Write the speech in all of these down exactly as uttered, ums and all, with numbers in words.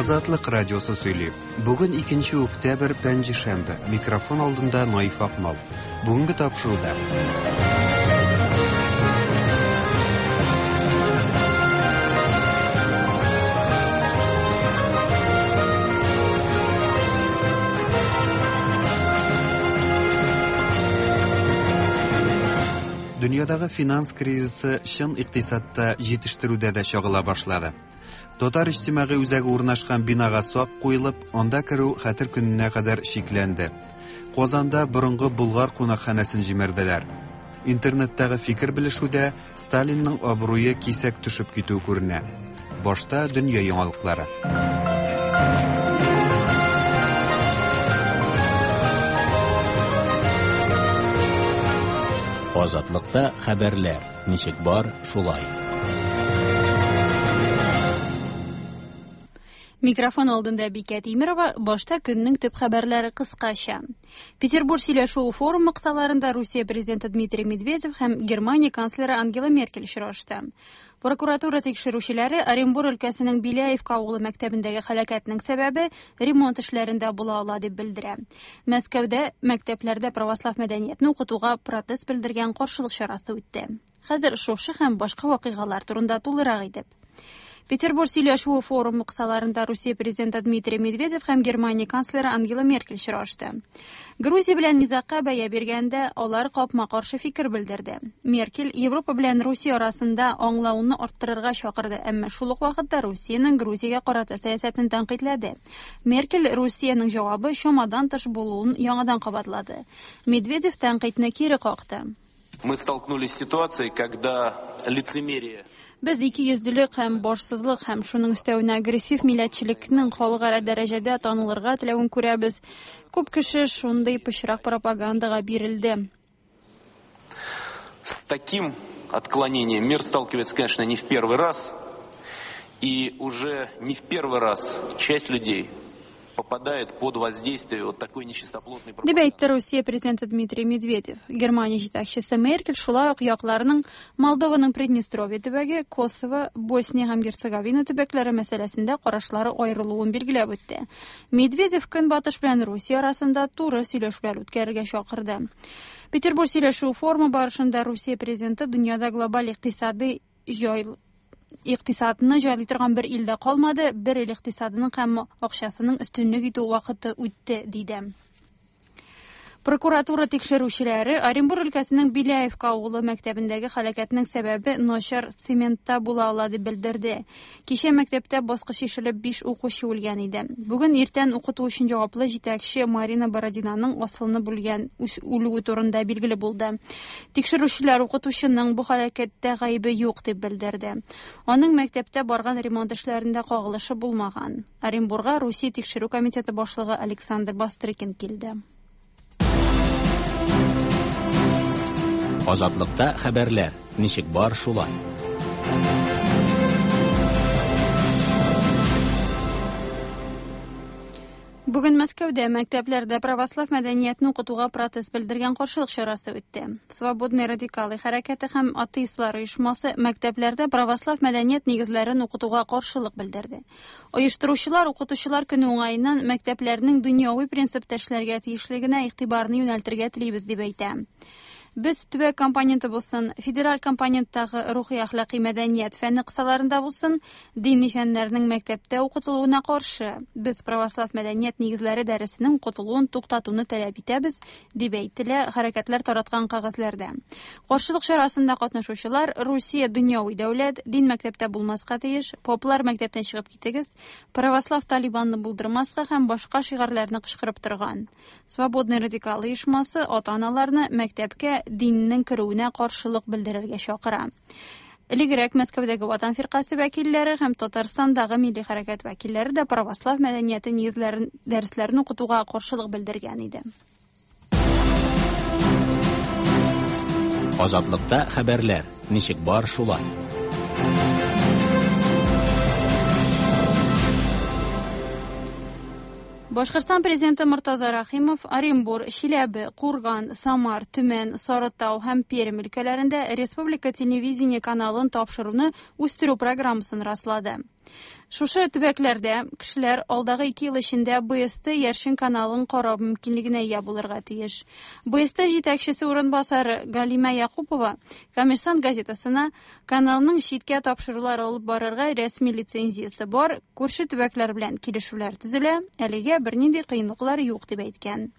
Азатлык радиосы сөйли. Бүген икенче октябрь, пәнҗешәмбе. Микрофон алдында Наиф Акмал. Бүгенге тапшыруда. Дөньядагы финанс кризисы чын икътисадта җитештерүдә дә чагыла башлады. Татар иҗтимагый үзәге урнашкан бинага сак куелып, анда керү хәтер көненә кадәр чикләнде. Казанда борынгы Болгар кунакханәсен җимерделәр. Интернеттагы фикер белешүдә Сталинның абруе кисәк төшеп китүе күренә. Башта дөнья яңалыклары. Азатлыкта хәбәрләр ничек бар, шулай. Микрофон алдында Бикә Тимирова, башта көннең төп хәбәрләре кыскача. Петербург сөйләшү форумы кысаларында Русия президенты Дмитрий Медведев һәм Германия канцлеры Ангела Меркель очрашты. Прокуратура тикшерүчеләре Оренбур өлкәсенең Беляевка авылы мәктәбендәге һәлакәтнең сәбәбе ремонт эшләрендә була ала дип белдерә. Мәскәүдә мәктәпләрдә православ мәдәниятне укытуга протест белдергән каршылык чарасы үтте. Хәзер шушы һәм башка вакыйгалар турында тулырак итеп. Петербург сөйләшүе форумы кысаларында Русия президенты Дмитрий Медведев һәм Германия канцлеры Ангела Меркель очрашты. Грузия белән низагка бәя биргәндә алар капма-каршы фикер белдерде. Меркель Европа белән Русия арасында аңлауны арттырырга чакырды, әмма шул ук вакытта Русиянең Грузиягә карата сәясәтен тәнкыйтьләде. Меркель Русиянең җавабы чамадан тыш булуын яңадан кабатлады. Медведев тәнкыйтьне кире какты. Мы столкнулись с ситуацией, когда лицемерие Без ике йөзлелек һәм башсызлык һәм шуның өстәвенә агрессив милләтчелекнең халыкара дәрәҗәдә танылырга теләвен күрәбез. Күп кеше шундый пычрак пропагандага бирелде. С таким отклонением мир сталкивается, конечно, не в первый раз. И уже не в первый раз часть людей попадает под воздействие вот такой нечистоплотной пропаганды. Дип әйтте Русия президенты Дмитрий Медведев. Германия җитәкчесе Меркель шулай ук якларның Молдованың Приднестровье төбәге, Косово, Босния һәм Герцеговина төбәкләре мәсьәләсендә карашлары аерылуын билгеләп үтте. Медведев Көнбатыш белән Русия арасында туры сөйләшүләр үткәрергә чакырды. Петербург сөйләшү форумы барышында Русия президенты дөньяда глобаль икътисадый җай икътисадны җайлый торган бер илдә калмады, бер ил икътисадының һәм акчасының өстенлек итү вакыты үтте, диде. Прокуратура тикшерүчеләре Оренбур өлкәсенең Беляевка авылы мәктәбендәге һәлакәтнең сәбәбе начар цементта була ала дип белдерде. Кичә мәктәптә баскыч ишелеп биш укучы үлгән иде. Бүген иртән укыту өчен җаваплы җитәкче Марина Бородинаның асылынып үлгән үлүе турында билгеле булды. Тикшерүчеләр укытучының бу һәлакәттә гаебе юк дип белдерде. Аның мәктәптә барган ремонт эшләрендә кагылышы булмаган. Оренбурга Русия тикшерү комитеты башлыгы Александр Бастрыкин килде. Азатлыкта хәбәрләр ничек бар, шулай. Бүген Мәскәүдә мәктәпләрдә православ мәдәниятне укытуга протест белдергән каршылык чарасы үтте. Свободный радикалы хәрәкәте һәм атеистлар оешмасы мәктәпләрдә православ мәдәният нигезләрен укытуга каршылык белдерде. Оештыручылар укытучылар көне уңаеннан мәктәпләрнең дөньяви принципта эшләргә тиешлегенә игътибарны юнәлтергә телибез дип әйтә. Без төбәк компоненты булсын, федераль компоненттагы рухи әхлакый мәдәният фәне кысаларында булсын, дини фәннәрнең мәктәптә укытылуына каршы. Без православ мәдәният нигезләре дәресенең укытылуын туктатуны таләп итәбез, дип әйтелә хәрәкәтләр тараткан кәгазьләрдә. Каршылык чарасында катнашучылар Русия дөньяви дәүләт, дин мәктәптә булмаска тиеш, поплар мәктәптән чыгып китегез, православ талибанны булдырмаска һәм башка шигарьләрне кычкырып торган. Свободный радикал оешмасы ата-аналарны мәктәпкә диннең керүенә каршылык белдерергә чакыра. Элегрәк Мәскәүдәге Ватан фиркасе вәкилләре һәм Татарстандагы милли хәрәкәт вәкилләре дә православ мәдәнияте нигезләрен дәресләрен укытуга каршылык белдергән иде. Азатлыкта хәбәрләр ничек бар, шулай. Башкортстан президенты Мортаза Рахимов Оренбур, Чиләбе, Курган, Самар, Төмән, Сарытау һәм Пермь өлкәләрендә республика телевидение каналын тапшыруны үстерү программасын раслады. Шушы төбәкләрдә кешеләр алдагы ике ел эчендә Б С Т Яршин каналын карау мөмкинлегенә ия булырга тиеш. Б С Т җитәкчесе урынбасары Галимә Якупова «Коммерсант» газетасына каналның читкә тапшырулар алып барырга рәсми лицензиясе бар, күрше төбәкләр белән килешүләр төзелә, әлегә бернинди кыенлыклар юк дип әйткән.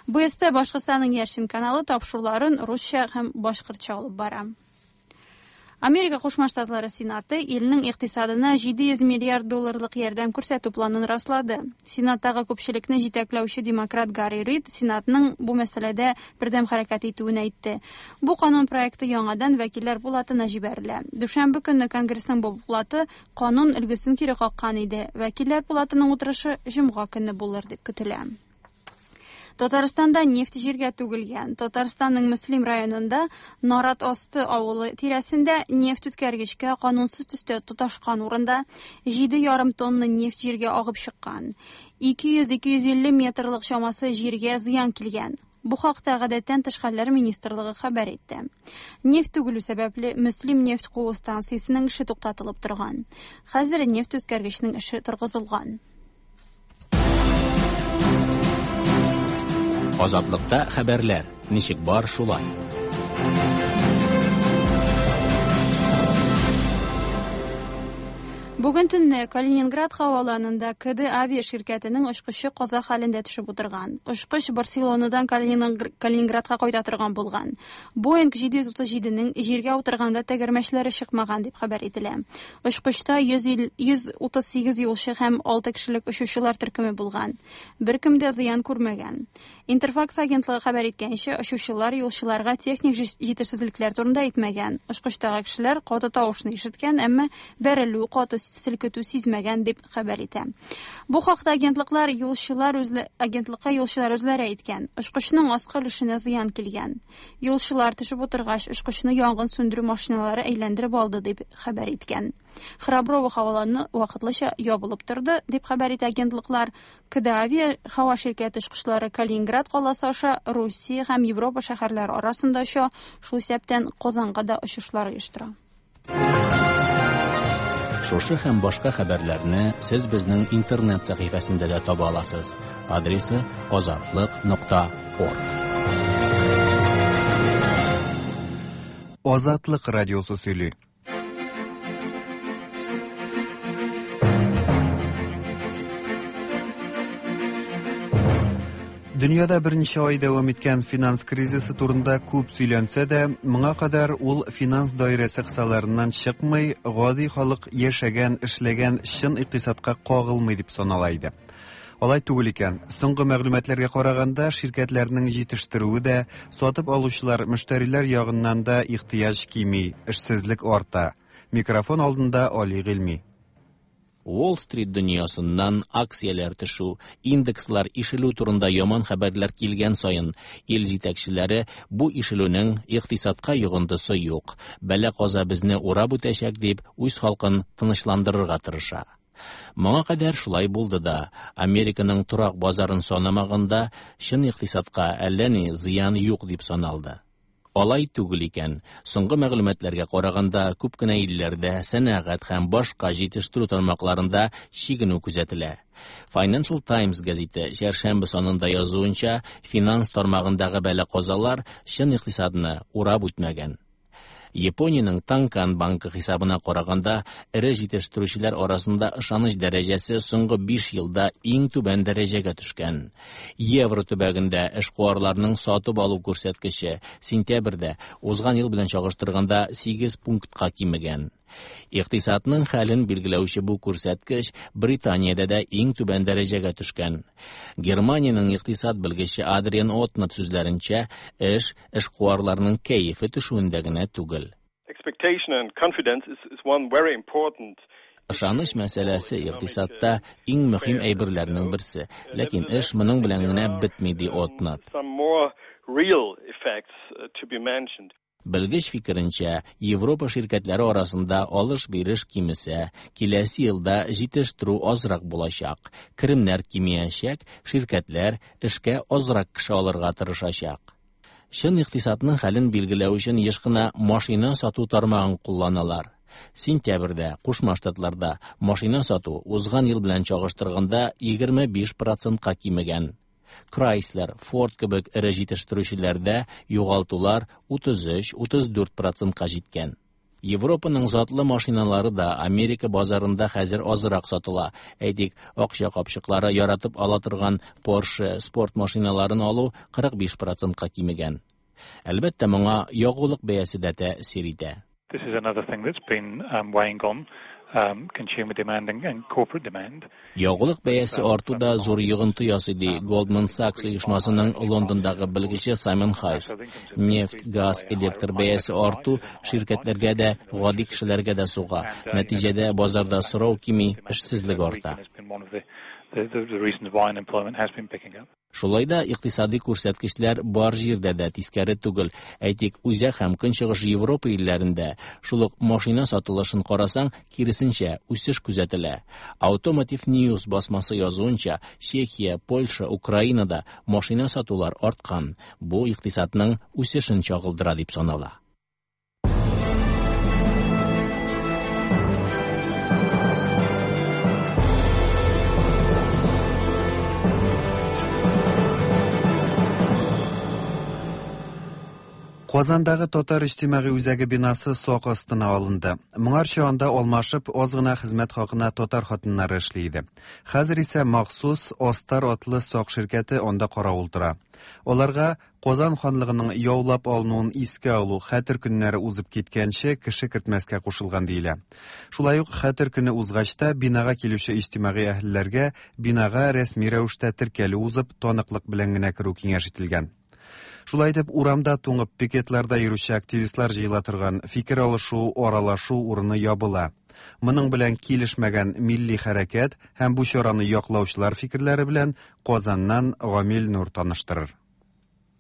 Б С Т Башкортстанның Яршин каналы тапшыруларын русча һәм башкортча алып бара. Америка Кушма Штатлары Сенаты илнең икътисадына җиде йөз миллиард долларлык ярдәм күрсәтү планын раслады. Сенаттагы күпчелекне җитәкләүче демократ Гарри Рид Сенатның бу мәсьәләдә бердәм хәрәкәт итүен әйтте. Бу канун проекты яңадан Вәкилләр палатына җибәрелә. Дүшәмбе көнне Конгрессның бу палаты канун өлгесен кире каккан иде. Вәкилләр палатының утырышы җомга көнне булыр дип көтелә. Татарстанда нефть җиргә түгелгән. Татарстанның Мөслим районында Нарат Асты авылы тирәсендә нефть үткәргечкә канунсыз төстә тоташкан урында җиде ярым тонна нефть җиргә агып чыккан. ике йөз-ике йөз илле метрлык чамасы җиргә зыян килгән. Бу хакта Гадәттән тыш хәлләр министрлыгы хәбәр итте. Нефть түгелү сәбәпле Мөслим нефть куу станциясенең эше туктатылып торган. Хәзер нефть үткәргечнең эше торгызылган. Азатлыкта хәбәрләр ничек бар, шулай. Бүген төнне Калининград һаваланында К Д авиа ширкәтенең очкычы каза хәлендә төшеп утырган. Очкыч Барселонадан Калининградка кайта торган булган. Boeing җиде йөз утыз җиденең җиргә утырганда тәгәрмәчләре чыкмаган дип хәбәр ителә. Очкычта йөз утыз сигез юлчы һәм алты кешелек очучылар төркеме булган. Беркем дә зыян күрмәгән. Интерфакс агентлыгы хәбәр иткәнчә, очучылар юлчыларга техник җитешсезлекләр турында әйтмәгән. Очкычтагы кешеләр каты тавышны ишеткән, әмма бәрелү, каты селкетү сизмәгән дип хәбәр итә. Бу хакта агентлыклар юлчылар үзле агентлыкка юлчылар үзләре әйткән. Очкычның аскы өлешенә зыян килгән. Юлчылар төшеп утыргач, очкычны янгын сүндерү машиналары әйләндереп алды дип хәбәр иткән. Храброво һаваланы вакытлыча ябылып торды дип хәбәр итә агентлыклар. К Д Авиа һава ширкәте очкычлары Калининград каласы аша Русия һәм Европа шәһәрләре арасында оча, шул исәптән Казанга да очышлар оештыра. Шушы һәм башка хәбәрләрне сез безнең интернет сәхифәсендә дә таба аласыз. Адресы: азатлык нокта орг. Азатлык радиосы сөйли. Дөньяда берничә ай дәвам иткән финанс кризисы турында күп сөйләнсә дә, моңа кадәр ул финанс даирәсе кысаларыннан чыкмый, гади халык яшәгән, эшләгән чын икътисадка кагылмый дип санала иде. Алай түгел икән. Соңгы мәгълүматларга караганда, ширкәтләрнең җитештерүе дә, сатып алучылар, мөштәриләр ягыннан да ихтыяҗ кими, эшсезлек арта. Микрофон алдында Али Гыйльми. Уолл-стрит дөньясыннан акцияләр төшү, индекслар ишелү турында яман хәбәрләр килгән саен ил җитәкчеләре бу ишелүнең икътисадка йогынтысы юк, бәла-каза безне урап үтәчәк дип үз халкын тынычландырырга тырыша. Моңа кадәр шулай булды да, Американың торак базарын санамаганда, чын икътисадка әллә ни зыян юк дип саналды. Алай түгел икән. Соңгы мәгълүматларга караганда, күп кенә илләрдә сәнәгать һәм башка җитештерү тармакларында чигенү күзәтелә. Financial Times гәзите чәршәмбе санында язуынча, финанс тармагындагы бәла-казалар чын икътисадны урап үтмәгән. Япониянең Танкан банкы хисабына караганда, эре җитештерүчеләр арасында ышаныч дәрәҗәсе соңгы биш елда иң түбән дәрәҗәгә төшкән. Евро төбәгендә эшкуарларның сатып алу күрсәткече сентябрьдә узган ел белән чагыштырганда сигез пунктка кимегән. Икътисадның хәлен билгеләүче бу күрсәткеч Британиядә дә иң түбән дәрәҗәгә төшкән. Германиянең икътисад белгече Адриан Отнат сүзләренчә, эш эшкуарларның кәефе төшүендә генә түгел. Expectation and confidence is, is one very important Ышаныч мәсьәләсе икътисадта иң мөһим әйберләрнең берсе. Ләкин эш моның белән генә бетми, ди Отнат. Some more real effects uh, to be mentioned. Белгеч фикеренчә, Европа ширкәтләре арасында алыш-биреш кимесә, киләсе елда җитештерү азрак булачак, керемнәр кимиячәк, ширкәтләр эшкә азрак кеше алырга тырышачак. Чын икътисадның хәлен билгеләү өчен еш кына машина сату тармагын кулланалар. Сентябрьдә Кушма Штатларда машина сату узган ел белән чагыштырганда егерме биш процентка кимегән. Chrysler, Ford кебек эре җитештерүчеләрдә югалтулар утыз өч утыз дүрт процентка җиткән. Европаның затлы машиналары да Америка базарында хәзер азрак сатыла. Әйтик, акча капчыклары яратып ала торган Porsche спорт машиналарын алу кырык биш процентка кимегән. Әлбәттә, моңа ягулык бәясе дә тәэсир итә. This is another thing that's been um, weighing on um, consumer demand and, and corporate demand. Ягулык бәясе арту да зур йогынты ясый, ди Goldman Sachs оешмасының Лондондагы белгече Саймон Хайс. Нефть, газ, электр бәясе арту ширкәтләргә дә, гади кешеләргә дә суга. Нәтиҗәдә базарда сорау кими, эшсезлек арта. Шулай да икътисади күрсәткечләр бар җирдә дә тискәре түгел. Әйтик, Үзәк һәм Көнчыгыш Европа илләрендә шул ук машина сатылышын карасаң, киресенчә, үсеш күзәтелә. Automotive News басмасы язуынча, Чехия, Польша, Украинада машина сатулар арткан. Бу икътисадның үсешен чагылдыра дип санала. Казандагы Татар иҗтимагый үзәге бинасы сак астына алынды. Моңарчы анда алмашып аз гына хезмәт хакына татар хатыннары эшли иде. Хәзер исә махсус Астар атлы сак ширкәте анда каравыл тора. Аларга Казан ханлыгының яулап алынуын искә алу хәтер көннәре узып киткәнче кеше кертмәскә кушылган диелә. Шулай ук хәтер көне узгач та бинага килүче иҗтимагый әһелләргә бинага рәсми рәвештә теркәлү узып таныклык белән генә керү киңәш ителгән. Шулай итеп, урамда туңып пикетларда йөрүче активистлар җыела торган фикер алышу, аралашу урыны ябыла. Моның белән килешмәгән милли хәрәкәт һәм бу чараны яклаучылар фикерләре белән Казаннан Гамил Нур таныштырыр.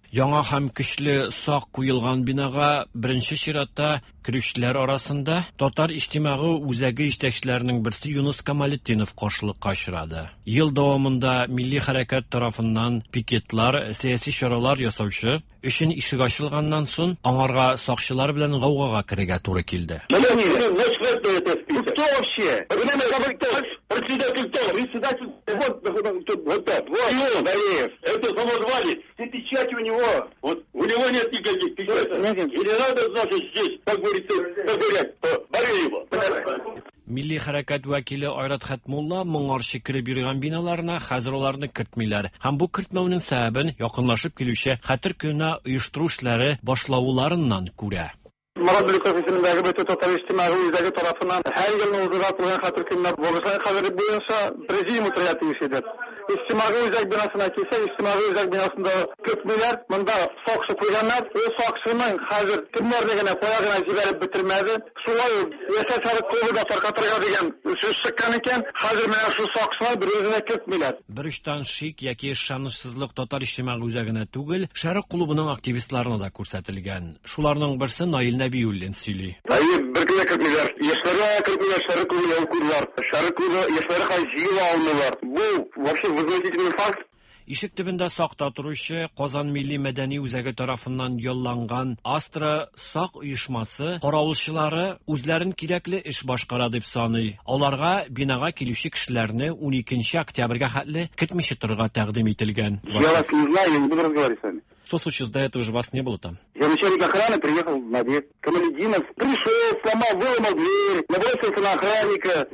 Яңа һәм көчле сак куелган бинага беренче чиратта керүчеләр арасында Татар иҗтимагый үзәге җитәкчеләренең берсе Юныс Камалетдинов каршылыкка очрады. Ел дәвамында милли хәрәкәт тарафыннан пикетлар, сәяси чаралар ясаучы өчен ишек ачылганнан соң аңарга сакчылар белән гаугага керергә туры килде. Кто вообще? Председатель кто? Председатель вот, вот, вот так. Вот. Дареев. Это самозванец. Все печати у него. Вот у него нет никаких печатей. И не надо, значит, здесь, как говорится, как говорят, Бареева. Милли хәрәкәт вәкиле Айрат Хәтмулла моңарчы кереп йөргән биналарына хәзер аларны кертмиләр. Һәм бу кертмәүнең сәбәбен якынлашып килүче хәтер көненә оештыру эшләре башлауларыннан күрә. Марат Беликов исемендәге бөтен татар иҗтимагый үзәге тарафыннан һәр елны уздырыла торган хәтер көненә багышланган хәбәр буенча президиум утырырга тиеш иде. Иҗтимагый үзәк бинасына килсәк, иҗтимагый үзәк бинасында көтмиләр, монда сакчы куйганнар. Ул сакчының хәзер кемнәрне генә кая гына җибәреп бетермәде. Шулай ук Яшәр Шәрык клубы да таркатырга дигән сүз чыккан икән, хәзер менә шул сакчылар бер үзенә кертмиләр. Бер очтан шик яки ышанычсызлык татар иҗтимагый үзәгенә түгел, Шәрык клубының активистларына да күрсәтелгән. Шуларның берсе Наил Нәбиуллин сөйли. Әйе, бер кенә кертмиләр. Яшьләргә кертмиләр, Шәрык клубы ябык. Шәрык клубы яшьләре хәзер җыела алмыйлар. Бу вообще возмутительный факт. Ишек төбендә сакта торучы Казан милли мәдәни үзәге тарафыннан ялланган Астра сак оешмасы каравылчылары үзләрен кирәкле эш башкара дип саный. Аларга бинага килүче кешеләрне уникенче октябрьгә хәтле кертмичә торырга тәкъдим ителгән. Я вас не знаю, я не буду разговаривать с вами. Что случилось, до этого же вас не было там? Я начальник охраны, приехал на обед. Камалетдинов пришел, сломал, выломал дверь, набросился на охранника,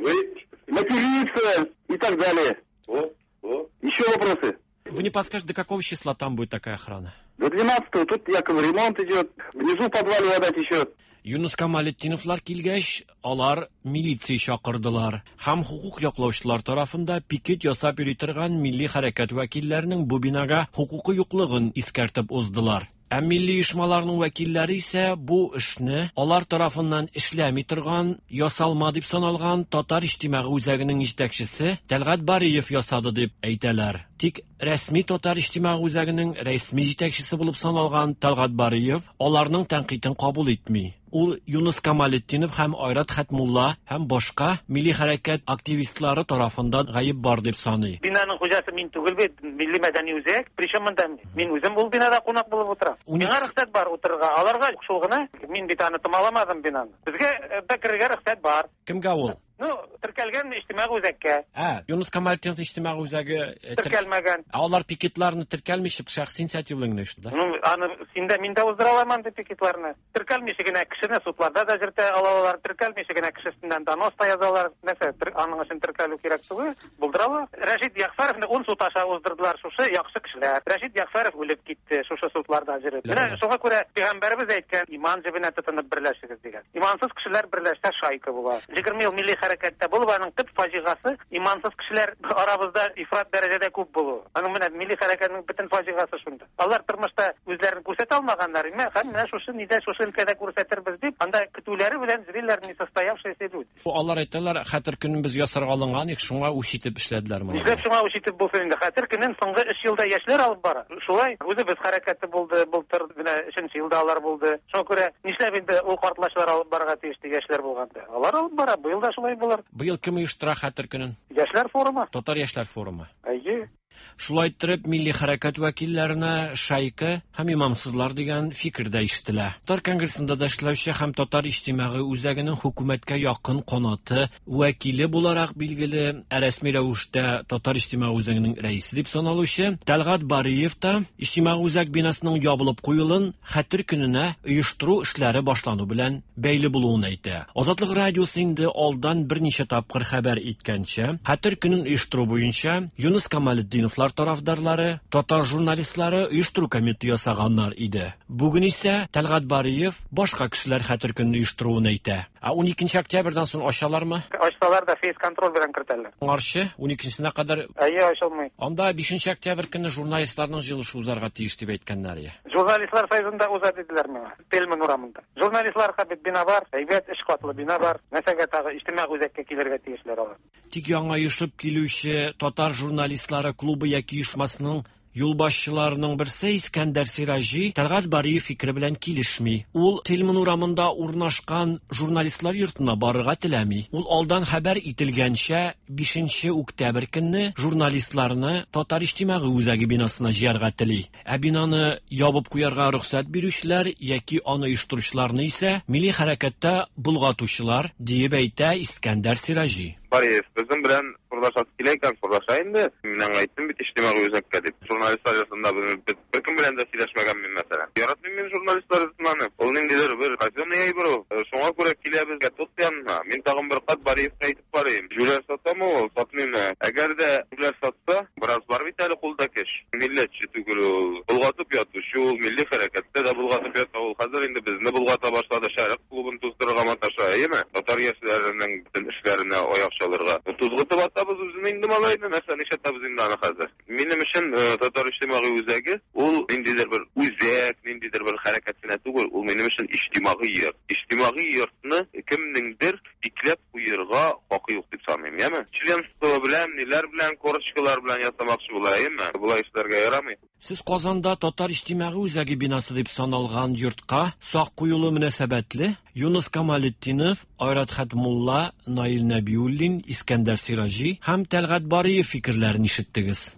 материться и так далее. О, о. Еще вопросы? Вы не подскажете, до какого числа там будет такая охрана? До двенадцатого. Тут якобы ремонт идет. Внизу в подвале вода течет. Юныс Камалетдиновлар килгәч, алар милиция чакырдылар. Һәм хукук яклаучылар тарафында пикет ясап йөри торган милли хәрәкәт вәкилләренең бу бинага хукукы юклыгын искәртеп уздылар. Ә милли оешмаларның вәкилләре исә бу эшне алар тарафыннан эшләми торган, ясалма дип саналган Татар иҗтимагый үзәгенең җитәкчесе Тәлгать Бариев ясады дип әйтәләр. Тик рәсми Татар иҗтимагый үзәгенең рәсми җитәкчесе булып саналган Тәлгать Бариев аларның тәнкыйтен кабул итми. Ул Юныс Камалетдинов һәм Айрат Хәтмулла һәм башка милли хәрәкәт активистлары тарафында гаеп бар дип саный. Бинаның хуҗасы мин түгел бит, милли мәдәни үзәк. Причем монда мин үзем ул бинада кунак булып утырам. Миңа рөхсәт бар утырырга. Аларга шул гына. Мин бит аны томаламадым бинаны. Безгә дә керергә рөхсәт бар. Кемгә ул? Ну, теркәлгән иҗтимагый үзәккә. Ә, Юныс Камалетдинов иҗтимагый үзәге теркәлмәгән. Ә алар пикетларны теркәлмичә шәхси инициатива белән генә оештырды. Ну, аны синдә мин дә уздыра алам андый пикетларны. Теркәлмичә генә кешене судларда да җөртә алалар, теркәлмичә генә кешесеннән донос та язалар. Нәрсә, аның өчен теркәлү кирәк түгел, булдыра ала. Рәшит Ягъфәровны ун суд аша уздырдылар шушы яхшы кешеләр. Рәшит Ягъфәров үлеп китте шушы судларда җөреп. Менә шуңа күрә пәйгамбәребез әйткән, иман җебенә тотынып берләшегез дигән. Имансыз кешеләр берләшсә шайка була. Егерме ел милли хәрәкәттә булып, аның төп фаҗигасы имансыз кешеләр арабызда ифрат дәрәҗәдә күп булу. Аның менә милли хәрәкәтнең бөтен фаҗигасы шунда. Алар тормышта үзләрен күрсәтә алмаганнар, һәм менә шушы нидә шушы өлкәдә күрсәтербез дип, анда көтүләре белән зрилләр несостоявшиеся люди. Алар әйтәләр, хәтер көнен без ясарга алынган идек, шуңа үч итеп эшләделәр моны. Нишләп шуңа үч итеп булсын инде? Хәтер көнен соңгы өч елда яшьләр алып бара. Шулай үзебез хәрәкәте булды, былтыр менә өченче елда алар булды. Шуңа күрә нишләп инде ул картлачлар алып барырга тиеште яшьләр булганда? Алар алып бара, быел да шулай булыр. Быел кем оештыра хәтер көнен? Яшьләр форумы. Татар яшьләр форумы. Әйе. Шулай иттереп, милли хәрәкәт вәкилләренә шайка һәм имамсызлар дигән фикер дә ишетелә. Татар конгрессында да эшләүче һәм Татар иҗтимагый үзәгенең хөкүмәткә якын канаты вәкиле буларак билгеле, ә рәсми рәвештә Татар иҗтимагый үзәгенең рәисе дип саналучы Тәлгать Бариев та иҗтимагый үзәк бинасының ябылып куелын хәтер көненә оештыру эшләре башлану белән бәйле булуын әйтә. Азатлык радиосы инде алдан берничә тапкыр хәбәр иткәнчә, хәтер көнен оештыру буенча Юныс Камалетдиновлар тарафдарлары, татар журналистлары оештыру комитеты ясаганнар иде. Бүген исә Тәлгать Бариев башка кешеләр хәтер көнен оештыруын әйтә. Ә ун икенче октябрьдән соң ачалармы? Ачсалар да фейс-контроль белән кертәләр. Аңарчы ун икенчесенә кадәр Әйе, ачылмый. Анда бишенче октябрь көнне журналистларның җыелышы узарга тиеш дип әйткәннәр иде. Журналистлар союзында уза диделәр миңа. Тельман урамында. Журналистларга бит бина бар, әйбәт өч катлы бина бар. Нәрсәгә тагы иҗтимагый үзәккә килергә тиешләр алар. Тик яңа оешып килүче татар журналистлары клубы яки оешмасының юлбашчыларының берсе Искәндәр Сираҗи Тәлгать Бариев фикере белән килешми. Ул Тельман урамында урнашкан журналистлар йортына барырга теләми. Ул алдан хәбәр ителгәнчә бишенче октябрь көнне журналистларны Татар иҗтимагый үзәге бинасына җыярга тели. Ә бинаны ябып куярга рөхсәт бирүчеләр яки аны оештыручыларны исә милли хәрәкәттә болгатучылар диеп әйтә Искәндәр Сираҗи. Бариев безнең белән сордаша килә икән, сордаша инде. Мин аңа әйттем бит иҗтимагый үзәккә дип. Журналистлар йортында без беркем белән дә сөйләшмәгән мин мәсәлән. Яратмыйм мин журналистлар йортыннан. Ул ниндидер бер казенный әйбер ул. Шуңа күрә килә безгә тот янына. Мин тагын бер кат Бариевка әйтеп барыйм. Җүләр сатамы ул, сатмыймы? Әгәр дә җүләр сатса, бераз бар бит әле кулда кеш. Милләтче түгел ул. Болгатып ятучы ул, милли хәрәкәттә дә болгатып ята ул. Хәзер инде безне болгата башлады, Шәрык клубын туздырырга маташа, әйеме? Татар яшьләренең бөтен эшләренә аяк чалырга. Тузгытып атабыз үзен инде малайны, нәрсә нишләтәбез инде аны хәзер. Минем өчен Татар иҗтимагый үзәге ул ниндидер бер үзәк, ниндидер бер хәрәкәт кенә түгел, ул минем өчен иҗтимагый йорт. Иҗтимагый йортны кемнеңдер бикләп куярга хакы юк дип саныйм, яме? Членство белән, ниләр белән, корочкалар белән ясамакчы була, әйеме? Болай эшләргә ярамый. Сез Казанда Татар иҗтимагый үзәге бинасы дип саналган йортка сак куелу мөнәсәбәтле Юныс Камалетдинов, Айрат Хәтмулла, Наил Нәбиуллин, Искәндәр Сираҗи һәм Тәлгать Бариев фикерләрен ишеттегез.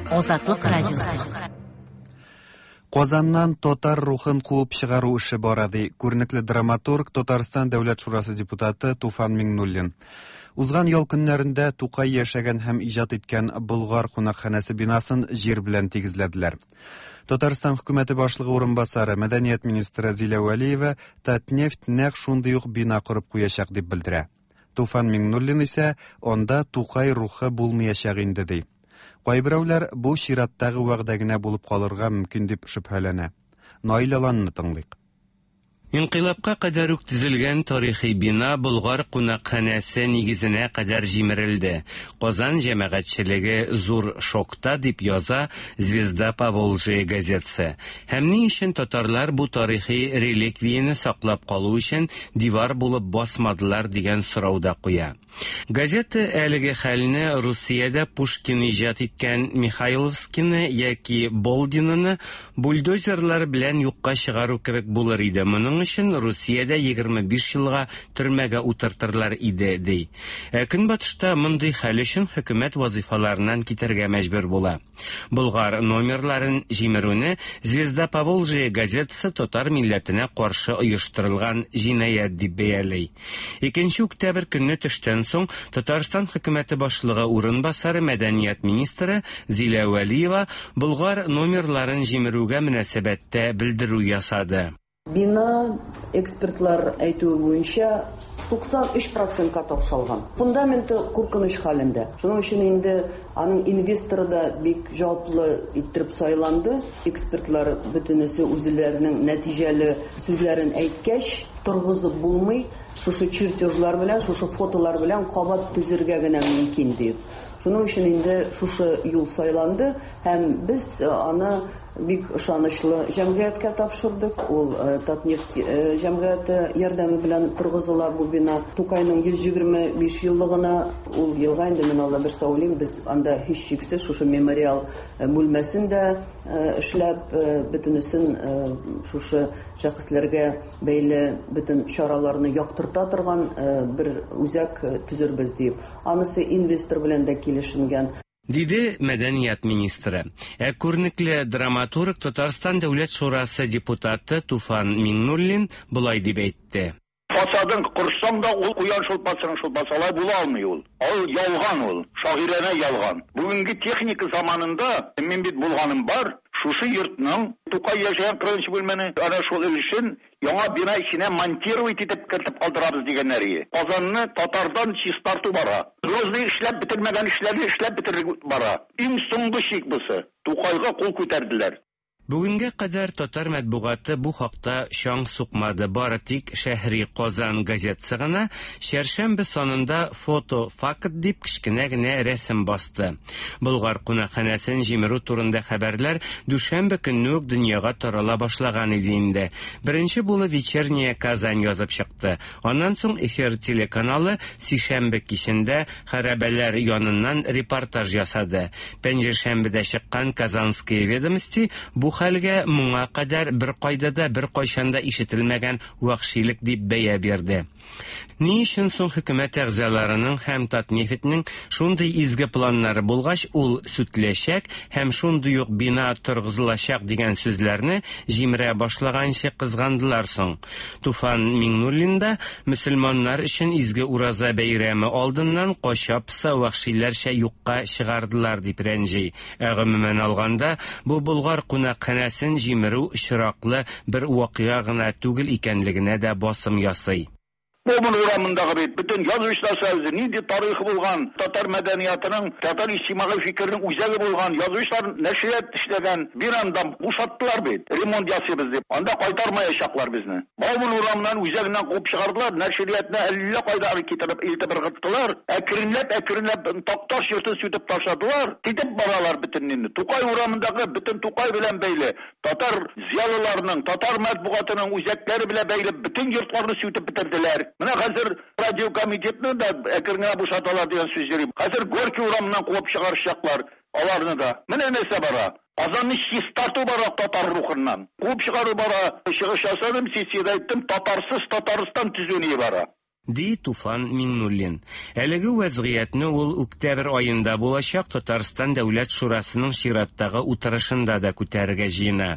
Азатлык радиосы. Казаннан татар рухын куып чыгару эше бара, ди күренекле драматург, Татарстан Дәүләт Шурасы депутаты Туфан Миңнуллин. Узган ял көннәрендә Тукай яшәгән һәм иҗат иткән Болгар кунакханәсе бинасын җир белән тигезләделәр. Татарстан хөкүмәте башлыгы урынбасары, мәдәният министры Зилә Вәлиева Татнефть нәкъ шундый ук бина корып куячак дип белдерә. Туфан Миңнуллин исә анда Тукай рухы булмаячак инде ди. Кайберәүләр бу чираттагы вәгъдә генә булып калырга мөмкин дип шөбһәләнә. Наил Аланны тыңлыйк. Инкыйлабка кадәр үк төзелгән тарихи бина Болгар кунакханәсе нигезенә кадәр җимерелде. Казан җәмәгатьчелеге зур шокта дип яза Звезда Поволжья газетасы. Һәм ни өчен татарлар бу тарихи реликвияне саклап калу өчен дивар булып басмадылар дигән сорау да куя. Газета әлеге хәлне Русиядә Пушкин иҗат иткән Михайловскийны яки Болдинны бульдозерлар белән юкка чыгару кебек булыр иде. Моның Моның өчен Русиядә егерме биш елга төрмәгә утыртырлар иде, ди. Ә Көнбатышта мондый хәл өчен хөкүмәт вазифаларыннан китәргә мәҗбүр була. Болгар номерларын җимерүне «Звезда Поволжья» газетасы татар милләтенә каршы оештырылган җинаять дип бәяли. Икенче октябрь көнне төштән соң Татарстан хөкүмәте башлыгы урынбасары мәдәният министры Зилә Вәлиева Болгар номерларын җимерүгә мөнәсәбәттә белдерү ясады. Бина экспертлар әйтүе буенча туксан өч процентка тапшалган. Фундаменты куркыныч хәлендә. Шуның өчен инде аның инвесторы да бик җаваплы иттереп сайланды. Экспертлар бөтенесе үзләренең нәтиҗәле сүзләрен әйткәч, торгызып булмый, шушы чертежлар белән, шушы фотолар белән кабат төзергә генә мөмкин дип. Шуның өчен инде шушы юл сайланды һәм без аны бик ышанычлы җәмгыятькә тапшырдык. Ул Татнефть җәмгыяте ярдәме белән торгызыла бу бина. Тукайның йөз егерме биш еллыгына ул елга инде мин Алла бирсә уйлыйм, без анда һичшиксез шушы мемориал бүлмәсен дә эшләп, бөтенесен шушы шәхесләргә бәйле бөтен чараларны яктырта торган бер үзәк төзербез дип. Анысы инвестор белән дә килешенгән. Диде мәдәният министры. Ә күренекле драматург Татарстан Дәүләт Шурасы депутаты Туфан Миңнуллин болай дип әйтте. Фасадын корсаң да ул куян шулпасының шулпасы алай була алмый ул. Ул ялган ул, шагыйрәнә ялган. Бүгенге техника заманында мин бит булганым бар, шушы йортның Тукай яшәгән кырыгынчы бүлмәне ана шул өлешен яңа бина эченә монтировать итеп кертеп калдырабыз дигәннәр. Казанны татардан чистарту бара. Грозный эшләп бетермәгән эшләрне эшләп бетерү бара. Иң соңгы чик бусы. Тукайга кул күтәрделәр. Бүгенгә кадәр татар матбугаты бу хакта чаң сукмады. Бары тик Шәһри Казан газетасы гына чәршәмбе санында фото факт дип кечкенә генә рәсем басты. Болгар кунакханәсен җимерү турында хәбәрләр дүшәмбе көнне үк дөньяга тарала башлаган иде инде. Беренче булып Вечерняя Казань язып чыкты. Аннан соң Эфир телеканалы сишәмбе кичендә хәрабәләр яныннан репортаж ясады. Пәнҗешәмбедә чыккан Казанские ведомости бу хәлгә моңа кадәр бер кайда да бер кайчан да ишетелмәгән вәхшилек дип бәя бирде. Ни өчен соң хөкүмәт әгъзаларының һәм Татнефтьнең шундый изге планнары булгач, ул сүтеләчәк һәм шундый ук бина торгызылачак дигән сүзләрне җимерә башлаганчы кызгандылар соң? Туфан Миңнуллин да мөселманнар өчен изге ураза бәйрәме алдыннан качапса вәхшиләрчә юкка чыгардылар дип рәнҗи. Ә гомумән алганда, бу Болгар кунакханәсен җимерү очраклы бер вакыйга гына түгел икәнлегенә дә басым ясый. Бауман урамындагы бит бөтен язучылар союзы нинди тарихы булган, татар мәдәниятының, татар иҗтимагый фикеренең үзәге булган язучылар нәшрият эшләгән бинаны бушаттылар бит, ремонт ясыйбыз дип. Анда кайтармаячаклар безне. Бауман урамыннан үзәгеннән куып чыгардылар, нәшриятны әллә кайда китереп илтеп ыргыттылар. Әкренләп, әкренләп Такташ йортын сүтеп ташладылар. Китеп баралар бөтенне. Тукай урамындагы бөтен Тукай белән бәйле татар зыялыларының, татар матбугатының үзәкләре белән бәйле бөтен йортларны сүтеп бетерделәр. Менә хәзер радио комитетны да әкрен генә бушаталар дигән сүз йөри. Хәзер Горький урамыннан куып чыгарышчаклар аларны да. Менә нәрсә бара. Казанны чистарту бара татар рухыннан. Куып чыгару бара. Чыгыш ясадым, сессиядә әйттем, татарсыз Татарстан төзү бара. Ди Туфан Миңнуллин. Әлеге вәзгыятьне ул октябрь аенда булачак Татарстан Дәүләт Шурасының чираттагы утырышында да күтәрергә җыена.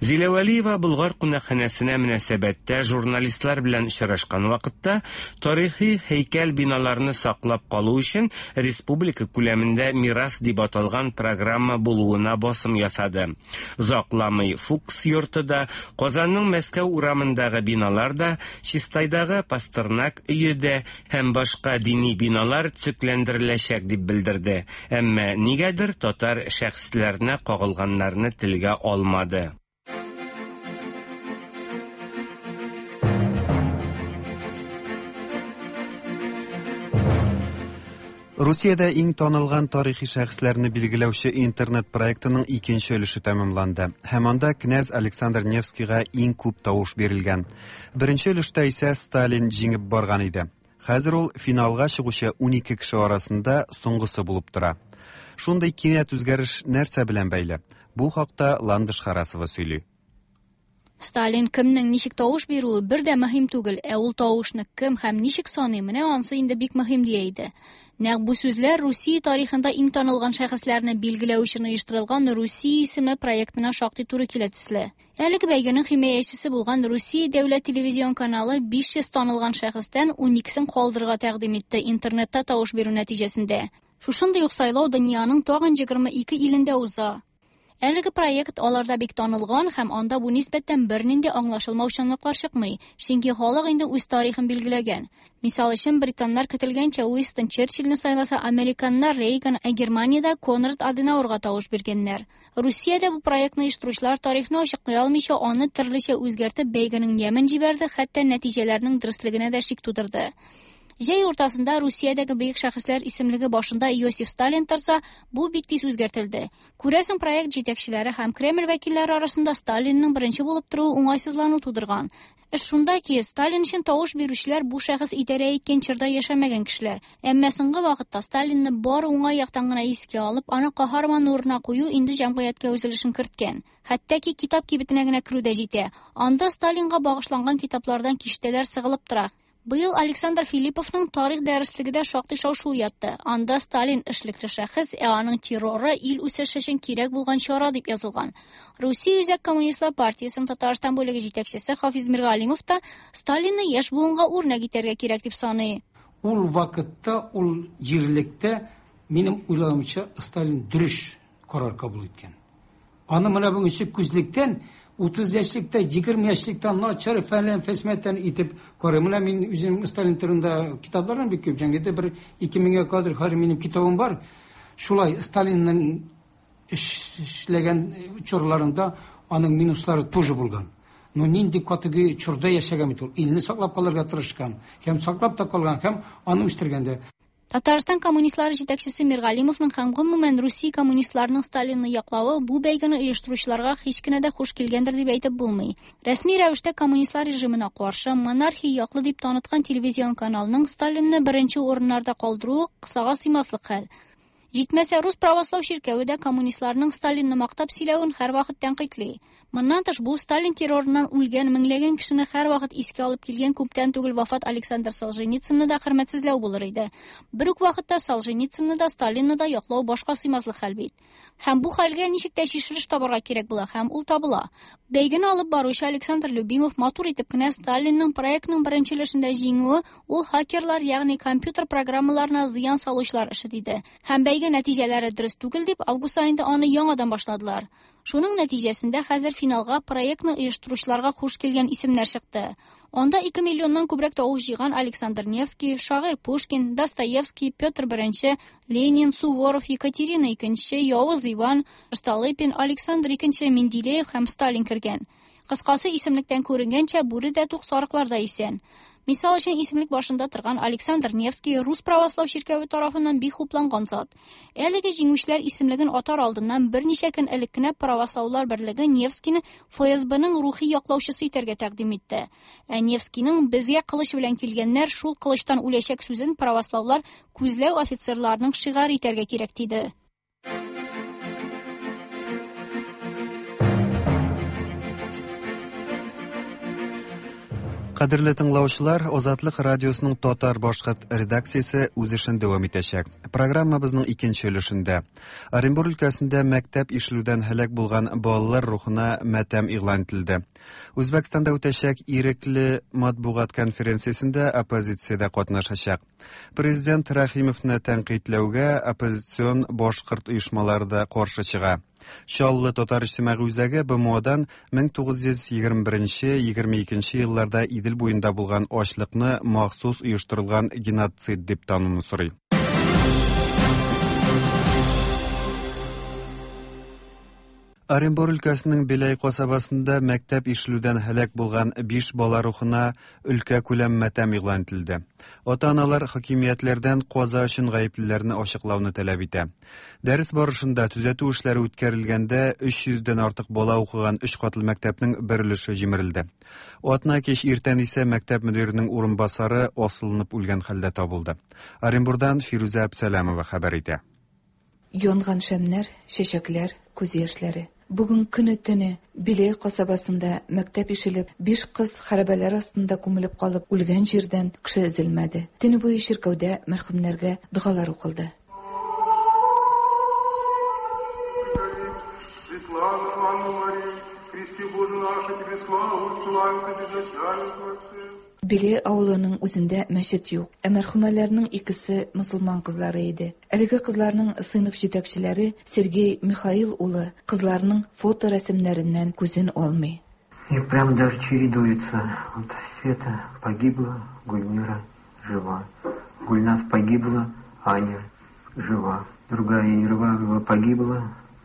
Зилә Вәлиева Болгар кунакханәсенә мөнәсәбәттә журналистлар белән очрашкан вакытта тарихи һәйкәл биналарны саклап калу өчен республика күләмендә мирас дип аталган программа булуына басым ясады. Озакламый Фукс йорты да, Казанның Мәскәү урамындагы биналар да, Чистайдагы Пастернак өе дә һәм башка дини биналар төзекләндереләчәк дип белдерде. Әмма нигәдер татар шәхесләренә кагылганнарны телгә алмады. Русиядә иң танылган тарихи шәхесләрне билгеләүче интернет проектының икенче өлеше тәмамланды. Һәм анда князь Александр Невскийга иң күп тавыш бирелгән. Беренче өлештә исә Сталин җиңеп барган иде. Хәзер ул финалга чыгучы унике кеше арасында соңгысы булып тора. Шундый кинәт үзгәреш нәрсә белән бәйле? Бу хакта Ландыш Харасова сөйли. Сталин кемнең ничек тавыш бирүе бер дә мөһим түгел, ә ул тавышны кем һәм ничек саный, менә ансы инде бик мөһим дия иде. Нәкъ бу сүзләр Русия тарихында иң танылган шәхесләрне билгеләү өчен оештырылган Русия исеме проектына шактый туры килә төсле. Әлеге бәйгенең химаячысы булган Русия дәүләт телевизион каналы биш йөз танылган шәхестән ун икесен калдырырга тәкъдим итте интернетта тавыш бирү нәтиҗәсендә. Шушындый ук сайлау дөньяның тагын егерме ике илендә уза. Әлеге проект аларда бик танылган һәм анда бу нисбәттән бернинди аңлашылмаучанлыклар чыкмый, чөнки халык инде үз тарихын билгеләгән. Мисал өчен, британнар көтелгәнчә Уинстон Черчилльне сайласа, американнар Рейган, ә Германиядә Конрад Аденауэрга тавыш биргәннәр. Русиядә бу проектны оештыручылар тарихны ачыклый алмыйча, аны төрлечә үзгәртеп бәйгенең ямен җибәрде, хәтта нәтиҗәләрнең дөреслегенә дә шик тудырды. Җәй уртасында Русиядәге бөек шәхесләр исемлеге башында Иосиф Сталин торса, бу бик тиз үзгәртелде. Күрәсең, проект җитәкчеләре һәм Кремль вәкилләре арасында Сталинның беренче булып торуы уңайсызлану тудырган. Эш шунда ки, Сталин өчен тавыш бирүчеләр бу шәхес идарә иткән чорда яшәмәгән кешеләр. Әмма соңгы вакытта Сталинны бары уңай яктан гына искә алып, аны каһарман урынына кую инде җәмгыятькә үз өлешен керткән. Хәтта ки китап кибетенә генә керү дә җитә. Анда Сталинга багышланган китаплардан киштәләр сыгылып тора. Быел Александр Филипповның тарих дәреслеге дә шактый шау-шу уятты. Анда Сталин эшлекле шәхес, ә аның терроры ил үсеше өчен кирәк булган чара дип язылган. Русия Үзәк Коммунистлар партиясенең Татарстан бүлеге җитәкчесе Хафиз Миргалимов та Сталинны яшь буынга үрнәк итәргә кирәк дип саный. Ул вакытта, ул җирлектә минем уйлавымча Сталин дөрес карар кабул иткән. Аны менә бүгенге күзлектән утыз яшьлектә, егерме яшьлектә начар фәлән фәсмәтән итеп карый. Менә мин үзем Сталин турында китапларым бик күп, җәңгедә бер ике меңгә кадәр хәзер минем китабым бар. Шулай Сталинның эшләгән чорларында аның минуслары тоже булган. Но нинди категория чорда яшәгән бит ул. Илне саклап калырга тырышкан, һәм саклап та калган, һәм аны үстергән дә. Татарстан коммунистлары җитәкчесе Миргалимовның һәм гомумән Русия коммунистларының Сталинны яклавы бу бәйгене оештыручыларга һич кенә дә хуш килгәндер дип әйтеп булмый. Рәсми рәвештә коммунистлар режимына каршы монархия яклы дип таныткан телевизион каналның Сталинны беренче урыннарда калдыруы кысага сыймаслык хәл. Җитмәсә, Рус православ чиркәве дә коммунистларның Сталинны мактап сөйләвен һәрвакыт тәнкыйтьли. Моннан тыш, бу Сталин террорыннан үлгән меңләгән кешене һәрвакыт искә алып килгән күптән түгел вафат Александр Солженицынны да хөрмәтсезләү булыр иде. Бер үк вакытта Солженицынны да, Сталинны да яклау башка сыймаслык хәл бит. Һәм бу хәлгә ничек тә чишелеш табарга кирәк була, һәм ул табыла. Бәйгене алып баручы Александр Любимов матур итеп кенә Сталинның проектның беренче өлешендә җиңүе ул хакерлар, ягъни компьютер программаларына зыян салучылар эше диде. Һәм бәйге нәтиҗәләре дөрес түгел дип август аенда аны яңадан башладылар. Шуның нәтиҗәсендә хәзер финалга проектны оештыручыларга хуш килгән исемнәр чыкты. Анда ике миллионнан күбрәк тавыш җыйган Александр Невский, шагыйрь Пушкин, Достоевский, Петр Беренче, Ленин, Суворов, Екатерина Икенче, Явыз Иван, Столыпин, Александр Икенче, Менделеев һәм Сталин кергән. Кыскасы, исемлектән күренгәнчә, бүре дә тук, сарыклар да исән. Мисал өчен, исемлек башында торган Александр Невский Рус православ чиркәве тарафыннан бик хупланган зат. Әлеге җиңүчеләр исемлеген атар алдыннан берничә көн элек кенә Правослаулар берлеге Невскийны Эф Эс Бның рухи яклаучысы итәргә тәкъдим итте. Ә Невскийның безгә кылыч белән килгәннәр шул кылычтан үләчәк сүзен правослаулар күзләү офицерларының шигаре итәргә кирәк диде. Кадерле тыңлаучылар, Азатлык радиосының татар башкорт редакциясе үз эшен дәвам итәчәк. Программабызның икенче өлешендә Оренбур өлкәсендә мәктәп ишелүдән һәлак булган балалар рухына матәм игълан ителде. Үзбәкстанда үтәчәк ирекле матбугат конференциясендә оппозиция дә катнашачак. Президент Рәхимовны тәнкыйтьләүгә оппозицион башкорт оешмалары да каршы чыга. Чаллы татар иҗтимагый үзәге Бэ Эм Одан мең тугыз йөз егерме беренче егерме икенче елларда Идел буенда булган ачлыкны махсус оештырылган геноцид дип тануны сорый. Оренбур өлкәсенең Беләй касабасында мәктәп ишелүдән һәлак булган биш бала рухына өлкә күләм матәм игълан ителде. Ата-аналар хакимиятләрдән каза өчен гаеплеләрне ачыклауны таләп итә. Дәрес барышында төзәтү эшләре үткәрелгәндә өч йөздән артык бала укыган өч катлы мәктәпнең бер өлеше җимерелде. Атна кич иртән исә мәктәп мөдиренең урынбасары асылынып үлгән хәлдә табылды. Оренбурдан Фирүзә Әбсәләмова хәбәр итә. Янган шәмнәр, чәчәкләр, күз яшьләре. Бүген көне-төне Биләй касабасында мәктәп ишелеп, биш кыз хәрабәләр астында күмелеп калып үлгән җирдән кеше өзелмәде. Төне буе чиркәүдә мәрхүмнәргә догалар укылды. Биләй авылының үзендә мәчет юк, ә мәрхүмәләрнең икесе мөселман кызлары иде. Әлеге кызларның сыйныф җитәкчеләре Сергей Михаил улы кызларның фоторәсемнәреннән күзен алмый. И прям даже чередуются. Вот Света погибла, Гульмира жива. Гульназ погибла, Аня жива. Другая Ерванова погибла,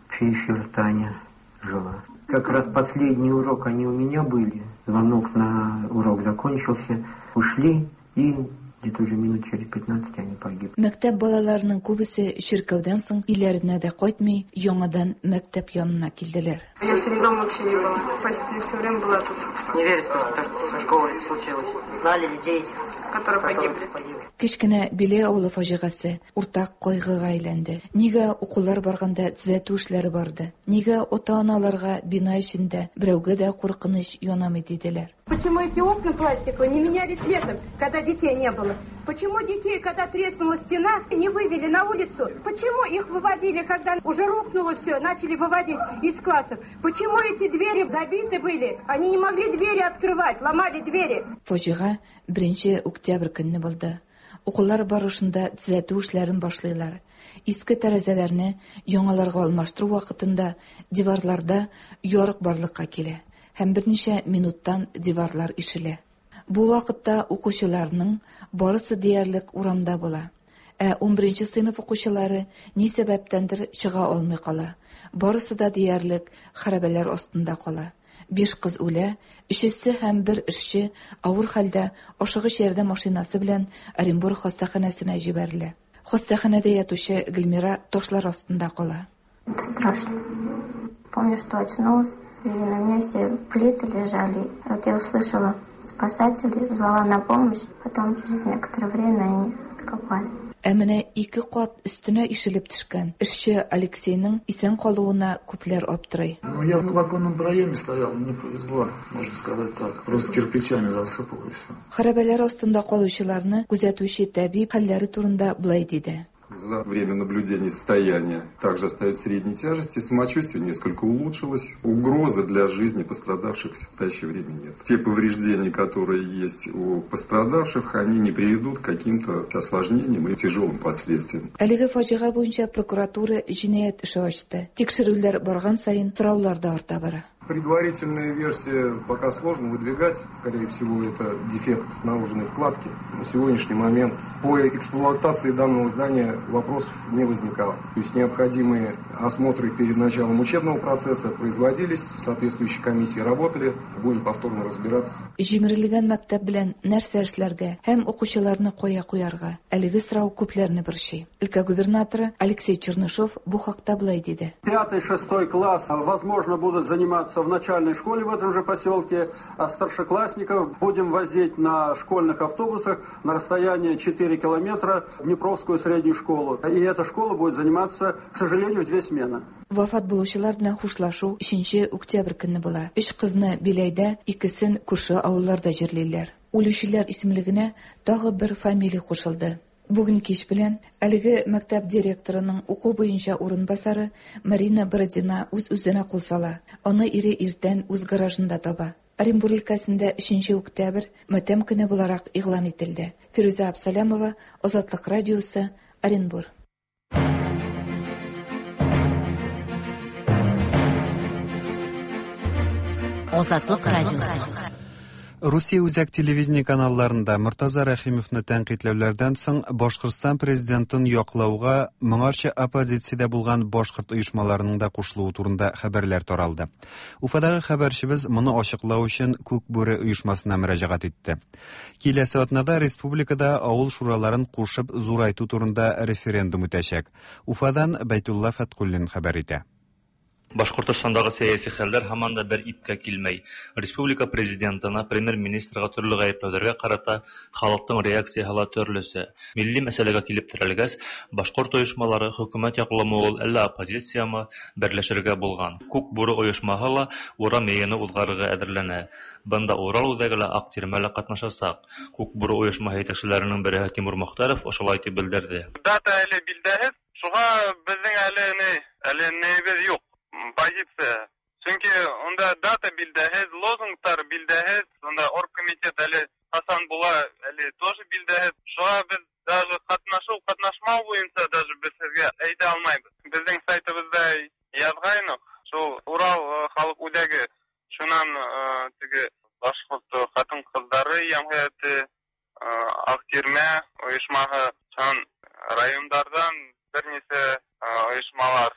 Фишер Таня жива. Как раз последний урок они у меня были. Звонок на урок закончился. Ушли, и где-то уже минут через пятнадцать они погибли. Мәктәп балаларының күбесе чиркәүдән соң өйләренә дә кайтмый, яңадан мәктәп янына килделәр. Я сегодня дома вообще не была. Почти все время была тут. Не верится просто то, что со школой случилось. Знали людей этих, которые погибли. Кечкенә Биләй авылы фаҗигасе уртак кайгыга әйләнде. Нигә укулар барганда төзәтү эшләре барды? Нигә ата-аналарга бина эчендә берәүгә дә куркыныч янамый диделәр? Почему эти окна пластиковые не менялись летом, когда детей не было? Почему детей, когда треснула стена, не вывели на улицу? Почему их выводили, когда уже рухнуло все, начали выводить из классов? Почему эти двери забиты были? Они не могли двери открывать, ломали двери. Фаҗига беренче октябрь көнне булды. Укулар барышында төзәтү эшләрен башлыйлар. Иске тәрәзәләрне яңаларга алмаштыру вакытында диварларда ярык барлыкка килә һәм берничә минуттан диварлар ишелә. Бу вакытта укучыларның барысы диярлек урамда була. Ә унберенче сыйныф укучылары ни сәбәптәндер чыга алмый кала. Барысы да диярлек хәрабәләр астында кала. Биш кыз үлә, өчесе һәм бер эшче авыр хәлдә ашыгыч ярдәм машинасы белән Оренбург хастаханәсенә җибәрелә. Хастаханәдә ятучы Гөлмира ташлар астында кала. Это страшно. Помню, что очнулась, и на мне все плиты лежали. Вот я услышала спасателей, звала на помощь, потом через некоторое время они откопали. Ә менә ике кат өстенә ишелеп төшкән эшче Алексейның исән калуына күпләр аптырый. Ну, я в оконном проеме стоял, мне повезло, можно сказать так. Просто кирпичами засыпало и все. Хәрабәләр астында калучыларны күзәтүче табиб хәлләре турында былай диде. За время наблюдения состояние также остается средней тяжести, самочувствие несколько улучшилось, угрозы для жизни пострадавших в настоящее время нет. Те повреждения, которые есть у пострадавших, они не приведут к каким-то осложнениям и тяжелым последствиям. Әлеге фаҗига буенча прокуратура җинаять эше ачты. Тикшерүләр барган саен сораулар да арта бара. Предварительная версия пока сложно выдвигать. Скорее всего, это дефект наложенной вкладки. На сегодняшний момент по эксплуатации данного здания вопросов не возникало. То есть необходимые осмотры перед началом учебного процесса производились, соответствующие комиссии работали. Будем повторно разбираться. Җимерелгән мәктәп белән нәрсә эшләргә һәм укучыларны кая куярга? Әлеге сорау күпләрне борчый. Өлкә губернаторы Алексей Чернышов бу хакта былай диде. Пятый, шестой класс, возможно, будут заниматься в начальной школе в этом же поселке, а старшеклассников будем возить на школьных автобусах на расстояние четыре километра в Днепровскую среднюю школу. И эта школа будет заниматься, к сожалению, в две смены. Вафат булучылар белән хушлашу өченче октябрь көнне була. Өч кызны Биләйдә, икесен күрше авылларда җирлиләр. Үлүчеләр исемлегенә тагы бер фамилия кушылды. Бүген кич белән әлеге мәктәп директорының уку буенча урынбасары Марина Бородина үз-үзенә кул сала. Аны ире иртән үз гаражында таба. Оренбург өлкәсендә өченче октябрь матәм көне буларак игълан ителде. Фирүзә Абсалямова, Азатлык радиосы, Оренбург. Азатлык радиосы. Русия үзәк телевидение каналларында Мортаза Рәхимовны тәнкыйтьләүләрдән соң Башкортстан президентын яклауга моңарча оппозициядә булган башкорт оешмаларының да кушылуы турында хәбәрләр таралды. Уфадагы хәбәрчебез моны ачыклау өчен Күк бүре оешмасына мөрәҗәгать итте. Киләсе атнада республикада авыл шураларын кушып зурайту турында референдум үтәчәк. Уфадан Бәйтулла Фәткуллин хәбәр итә. Башкортостандагы сәяси хәлләр һаман да бер ипкә килмәй. Республика президентына, премьер-министрга төрле гаепләүләргә карата халыктың реакцияһы ла төрлесе. Милли мәсьәләгә килеп терәлгәс, башкорт оешмалары хөкүмәт яклымы ул, әллә оппозициямы берләшергә булган. Күк бүре оешмаһы ла урам йыйыны уҙғарырға әҙерләнә. Бында Урал үҙәге лә, Аҡ тирмә лә ҡатнашасаҡ. Күк бүре оешмаһы етәкселәренең береһе Тимур Мохтаров ошолай тип белдерҙе. Дата әле билдәһеҙ, шуға беҙҙең әле ни, әле нейебеҙ юҡ. Позиция. Сөнки унда дата билдәһеҙ, лозунгтар билдәһеҙ, унда оргкомитет әле ҡасан була, әле тоже билдәһеҙ. Шуға беҙ даже ҡатнашыу, ҡатнашмау буйынса даже беҙ һеҙгә әйтә алмайбыҙ. Беҙҙең сайтыбыҙҙа яҙғайныҡ, шул Урал халыҡ үҙәге, шунан теге башҡорт ҡатын-ҡыҙҙары йәмғиәте, Аҡ тирмә ойошмаһы, шунан райондарҙан бер нисә ойошмалар,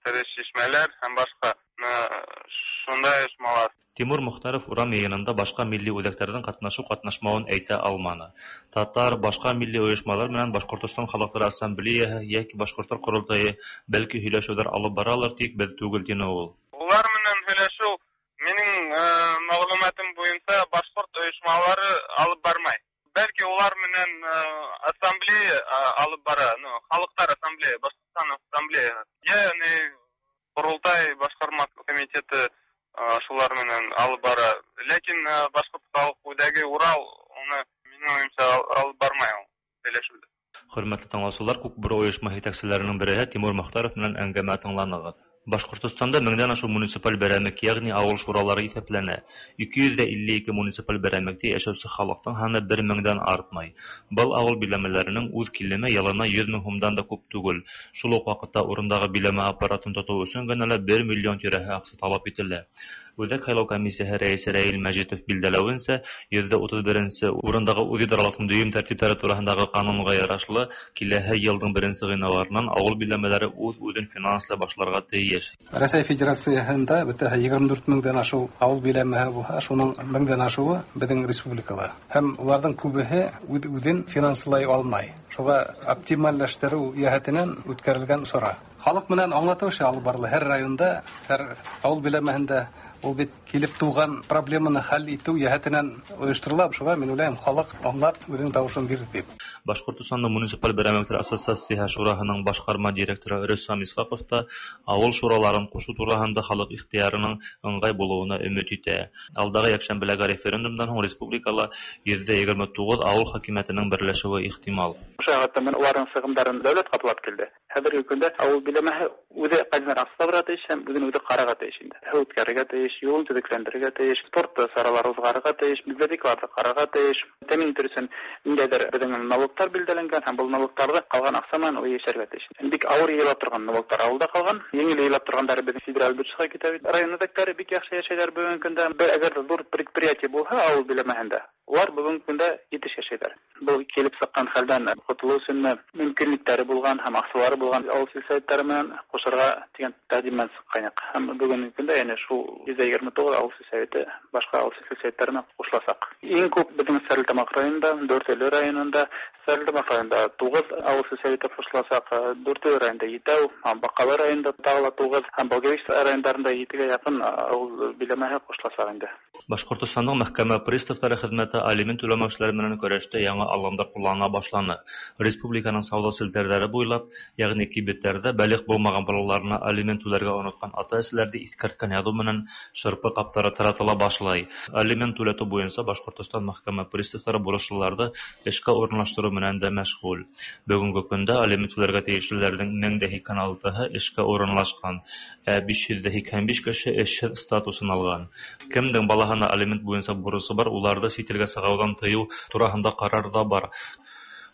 тере шишмәләр һәм башҡа шундай ойошмалар. Тимур Мохтаров урам йыйынында башҡа милли үҙәктәрҙең ҡатнашыу-ҡатнашмауын әйтә алманы. Татар, башҡа милли ойошмалар менән Башҡортостан халыҡтары ассамблеяһы йәки Башҡорттар ҡоролтайы бәлки һөйләшеүҙәр алып баралыр, тик беҙ түгел, тине ул. Улар менән һөйләшеү минең мәғлүмәтем буйынса башҡорт ойошмалары алып бармай. Бәлки улар менән ассамблея алып бара, ну, халыҡтар ассамблея, Башҡортостан ассамблеяһы. Йә, Ҡоролтай башҡарма комитеты шулар менән алып бара. Ләкин Башҡорт халыҡ үҙәге Урал уны минең уйымса алып бармай ул һөйләшеүҙе. Хөрмәтле тыңлаусылар, Күк бүре ойошмаһы етәкселәренең береһе Тимур Мохтаров менән әңгәмә тыңланығыҙ. Башҡортостанда меңдән ашыу муниципаль берәмек, йәғни ауыл шуралары иҫәпләнә. Ике йөҙ ҙә илле ике муниципаль берәмектә йәшәүсе халыҡтың һаны бер меңдән артмай. Был ауыл биләмәләренең үҙ килеме йылына йөҙ мең һумдан да күп түгел. Шул уҡ ваҡытта урындағы биләмә аппаратын тотоу өсөн генә лә бер миллион тирәһе аҡса талап ителә. Үҙәк һайлау комиссияһы рәйесе Рәил Мәжитов билдәләүенсә, йөҙҙә утыҙ беренсе урындағы үҙидаралыҡтың дөйөм тәртиптәре тураһындағы ҡанунға ярашлы, киләһе йылдың беренсе ғинуарынан ауыл биләмәләре үҙ-үҙен финанслай башларға тейеш. Рәсәй Федерацияһында бөтәһе егерме дүрт меңдән ашыу ауыл биләмәһе булһа, шуның меңдән ашыуы беҙҙең республикала. Һәм уларҙың күбеһе үҙ-үҙен финанслай алмай. Шуға оптимальләштереү йәһәтенән үткәрелгән сара. Халыҡ менән аңлатыу эше алып барыла һәр районда, һәр ауыл биләмәһендә. Ул бит килеп тыуған проблеманы хәл итеү йәһәтенән ойошторола. Шуға мин уйлайым, халыҡ аңлап үҙенең тауышын бирер тип. Башҡортостандың муниципаль берәмектәр ассоциацияһы шураһының башҡарма директоры Рөстәм Исхаҡов та ауыл шураларын ҡушыу тураһында халыҡ ихтыярының ыңғай булыуына өмөт итә. Алдағы йәкшәмбеләге референдумдан һуң республикала йөҙҙә егерме туғыҙ ауыл хакимиәтенең берләшеүе ихтимал. Ошо менән уларҙың сығымдарын дәүләт ҡаплап килде. Хәҙерге көндә ауыл биләмәһе үҙе ҡайҙан аҡса табырға тейеш һәм үҙен үҙе ҡарарға тейеш инде. Һыу үткәрергә тейеш, юлын төҙөкләндерергә тейеш, спорт саралары уҙғарырға тейеш, библиотекаларҙы ҡарарға тейеш. Тәьмин итер өсөн ниндәйҙер беҙҙең налогтар билдәләнгән һәм был налогтарҙы ҡалған аҡса менән ул йәшәргә тейеш. Бик ауыр йыйыла торған налогтар ауылда ҡалған, еңел йыйыла торғандары беҙҙең федераль бюджетҡа китә бит. Район үҙәктәре бик яҡшы йәшәйҙәр бөгөнгө көндә. Бер әгәр ҙә ҙур предприятие булһа ауыл биләмәһендә, улар бөгөнгө көндә етеш йәшәйҙәр. Был килеп сыҡҡан хәлдән ҡотолоу өсөн мөмкинлектәре булған һәм аҡсалары булған ауыл сельсоветтары менән ҡушырға тигән тәҡдим менән сыҡҡайныҡ. Һәм бөгөнгө көндә йәнә шул йөҙ егерме туғыҙ ауыл сельсоветы башҡа ауыл сельсоветтарына ҡушыласаҡ. Иң күп беҙҙең Стәрлетамаҡ районында, Дүртөйлө районында, Стәрлетамаҡ районында туғыҙ ауыл сельсоветы ҡушыласаҡ, Дүртөйлө районында етәү, Баҡалы районында тағы ла туғыҙ, һәм Благовещ райондарында етегә яҡын ауыл биләмәһе ҡушыласаҡ инде. Башҡортостандың мәхкәмә приставтары хеҙмәте алимент түләмәүселәр менән көрәштә яңы алымдар ҡуллана башланы. Республиканың сауҙа селтәрҙәре буйлап, йәғни кибеттәрҙә бәлиғ булмаған балаларына алимент түләргә онотҡан ата-әсәләрҙе иҫкәрткән яҙыу менән шырпы ҡаптары таратыла башлай. Алимент түләтеү буйынса Башҡортостан мәхкәмә приставтары бурыслыларҙы эшкә урынлаштырыу менән дә мәшғүл. Бөгөнгө көндә алимент түләргә тейешлеләрҙең мең дә һикһән алтыһы эшкә урынлашҡан, ә биш йөҙ ҙә һикһән биш кеше эшһеҙ статусын алған. Кемдең балаһына алимент буйынса бурысы бар, уларҙы сит илгә сығыуҙан тыйыу тураһында ҡарар ҙа бар.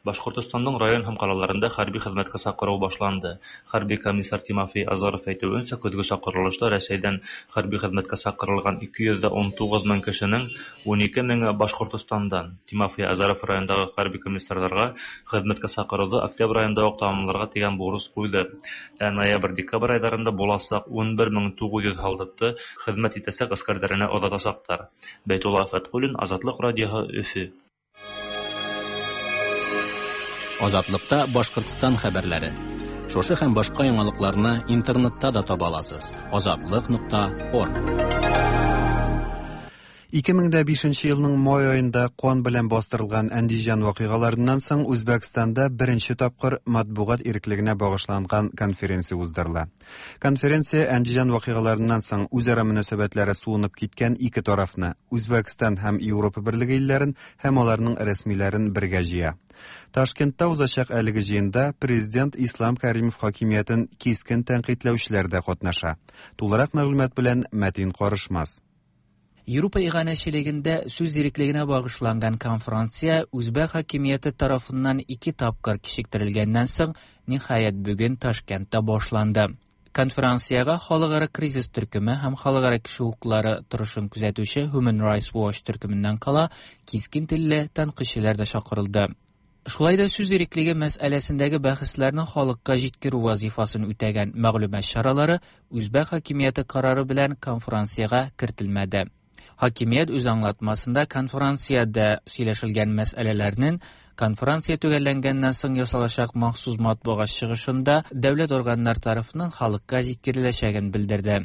Башҡортостандың район һәм ҡалаларында хәрби хеҙмәткә саҡырыу башланды. Хәрби комиссар Тимофей Азаров әйтеүенсә, көҙгө саҡырылышта Рәсәйҙән хәрби хеҙмәткә саҡырылған ике йөҙ ун туғыҙ мең кешенең ун ике меңе Башҡортостандан. Тимофей Азаров райондағы хәрби комиссарҙарға хеҙмәткә саҡырыуҙы октябрь айында уҡ тамамларға тигән бурыс ҡуйҙы. Ә ноябрь-декабрь айҙарында буласаҡ ун бер мең туғыҙ йөҙ һалдатты хеҙмәт итәсәк ғәскәрҙәренә оҙатасаҡтар. Бәйтулла Фәтҡуллин, Азатлыҡ радиоһы, Өфө. Азатлыкта Башкортстан хәбәрләре. Шушы һәм башка яңалыкларны интернетта да таба аласыз. Азатлык нокта орг. ике мең дә бишенче елның май аенда кан белән бастырылган Әндиҗан вакыйгаларыннан соң Үзбәкстанда беренче тапкыр матбугат иреклегенә багышланган конференция уздырыла. Конференция Әндиҗан вакыйгаларыннан соң үзара мөнәсәбәтләре суынып киткән ике тарафны, Үзбәкстан һәм Европа Берлеге илләрен һәм аларның рәсмиләрен бергә җыя. Ташкентта узачак әлеге җыенда президент Ислам Каримов хакимиятен кискен тәнкыйтьләүчеләр дә катнаша. Тулырак мәгълүмат белән Мәтин Карышмас. Европа иганәчелегендә сүз иреклегенә багышланган конференция Үзбәк хакимияте тарафыннан ике тапкыр кичектерелгәннән соң, ниһаять бүген Ташкентта башланды. Конференциягә халыкара кризис төркеме һәм халыкара кеше хокуклары торышын күзәтүче Human Rights Watch төркеменнән кала кискен телле тәнкыйтьчеләр дә чакырылды. Шулай да сүз иреклеге мәсьәләсендәге бәхәсләрне халыкка җиткерү вазифасын үтәгән мәгълүмат чаралары Үзбәк хакимияте карары белән конференциягә кертелмәде. Хакимият үз аңлатмасында конференциядә сөйләшелгән мәсьәләләрнең конференция төгәлләнгәннән соң ясалачак махсус матбугат чыгышында дәүләт органнары тарафыннан халыкка җиткереләчәген белдерде.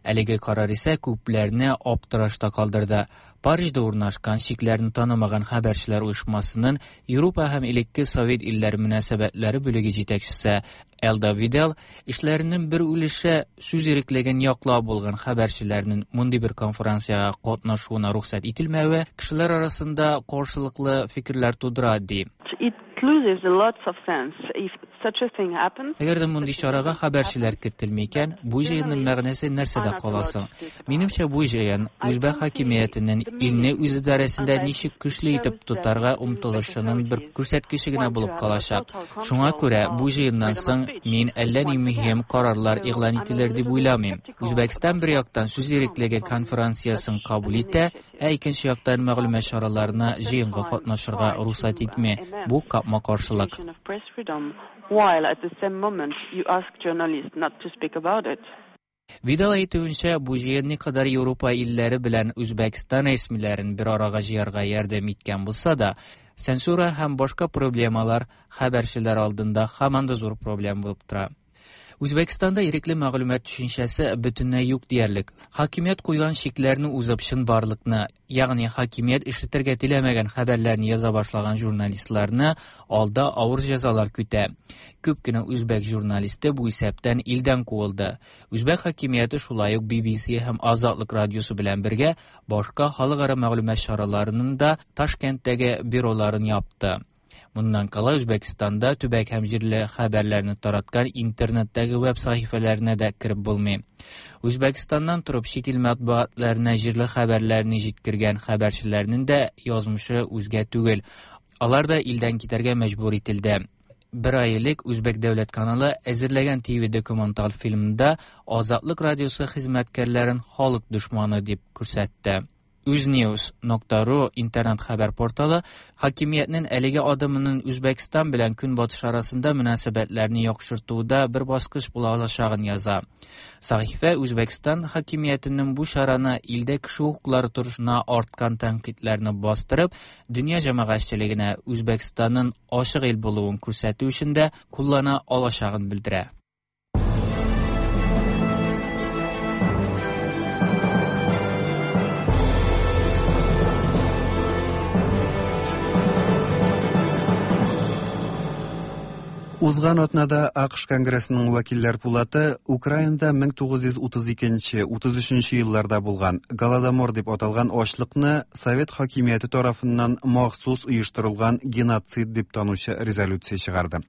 Әлеге карар исә күпләрне аптырашта калдырды. Парижда урнашкан чикләрне танымаган хәбәрчеләр оешмасының Европа һәм элекке Совет илләре мөнәсәбәтләре бүлеге җитәкчесе Элда Видел эшләренең бер өлеше сүз иреклеген яклау булган хәбәрчеләрнең мондый бер конференциягә катнашуына рөхсәт ителмәве кешеләр арасында каршылыклы фикерләр тудыра, ди. It loses lots of sense if such a thing happens. Әгәр дә мондый чарага хәбәрчеләр кертелми икән, бу җыенның мәгънәсе нәрсәдә каласың? Минемчә, бу җыен Үзбәк хакимиятенең илне үз идарәсендә ничек көчле итеп тотарга омтылышының бер күрсәткече генә булып калачак. Шуңа күрә бу җыеннан соң мин әллә ни мөһим карарлар игълан ителер дип уйламыйм. Үзбәкстан бер яктан сүз иреклеге конференциясен кабул итә, ә икенче яктан мәгълүмат чараларына җыенга катнашырга рөхсәт итми. Бу капма-каршылык. While at the same moment you ask journalists not to speak about it. Видал әйтүенчә, бу җыен никадәр Европа илләре белән Үзбәкстан рәсмиләрен бер арага җыярга ярдәм иткән булса да, цензура һәм башка проблемалар хәбәрчеләр алдында һаман да зур проблем булып тора. Үзбәкстанда ирекле мәгълүмат төшенчәсе бөтенләй юк диярлек. Хакимият куйган чикләрне узып чынбарлыкны, ягъни хакимият ишетергә теләмәгән хәбәрләрне яза башлаган журналистларны алда авыр җәзалар көтә. Күп кенә үзбәк журналисты бу исәптән илдән куылды. Үзбәк хакимияте шулай ук Би Би Си һәм Азатлык радиосы белән бергә башка халыкара мәгълүмат чараларының да Ташкенттәге бюроларын япты. Моннан кала Үзбәкстанда төбәк һәм җирле хәбәрләрне тараткан интернеттәге веб сәхифәләренә дә кереп булмый. Үзбәкстаннан торып чит ил матбугатларына җирле хәбәрләрне җиткергән хәбәрчеләрнең дә язмышы үзгә түгел. Алар да илдән китәргә мәҗбүр ителде. Бер ай элек Үзбәк дәүләт каналы әзерләгән Ти Ви документаль фильмында Азатлык радиосы хезмәткәрләрен халык дошманы дип күрсәтте. Uznews нокта ру интернет хәбәр порталы хакимиятнең әлеге адымының Үзбәкстан белән Көнбатыш арасында мөнәсәбәтләрне яхшыртуда бер баскыч була алачагын яза. Сәхифә Үзбәкстан хакимиятенең бу чараны илдә кеше хокуклары торышына арткан тәнкыйтьләрне бастырып, дөнья җәмәгатьчелегенә Үзбәкстанның ачык ил булуын күрсәтү өчен дә куллана алачагын белдерә. Узган атнада АКШ Конгрессының вәкилләр пулаты Украинада мең тугыз йөз утыз икенче, утыз өченче елларда булган Голодомор дип аталган ачлыкны Совет хакимияте тарафыннан махсус оештырылган геноцид дип танучы резолюция чыгарды.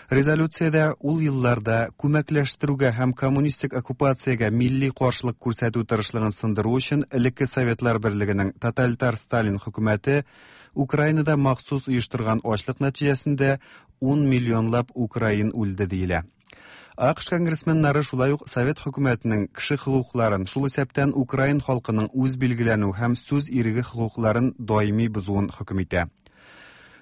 Резолюциядә ул елларда күмәкләштерүгә һәм коммунистик оккупациягә милли каршылык күрсәтү тырышлыгын сындыру өчен элекке Советлар Берлегенең тоталитар Сталин хөкүмәте Украинада махсус оештырган ачлык нәтиҗәсендә ун миллионлап украин үлде диелә. АКШ конгрессменнары шулай ук Совет хөкүмәтенең кеше хокукларын, шул исәптән украин халкының үз билгеләнү һәм сүз иреге хокукларын даими бозуын хөкем итә.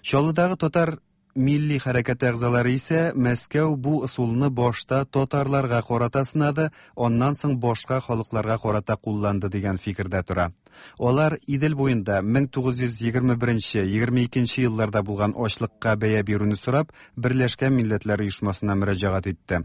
Чаллыдагы татар милли хәрәкәте әгъзалары исә Мәскәү бу ысулны башта татарларга карата сынады, аннан соң башка халыкларга карата кулланды дигән фикердә тора. Алар Идел буенда мең тугыз йөз егерме беренче, егерме икенче елларда булган ачлыкка бәя бирүне сорап, Берләшкән Милләтләр Оешмасына мөрәҗәгать итте.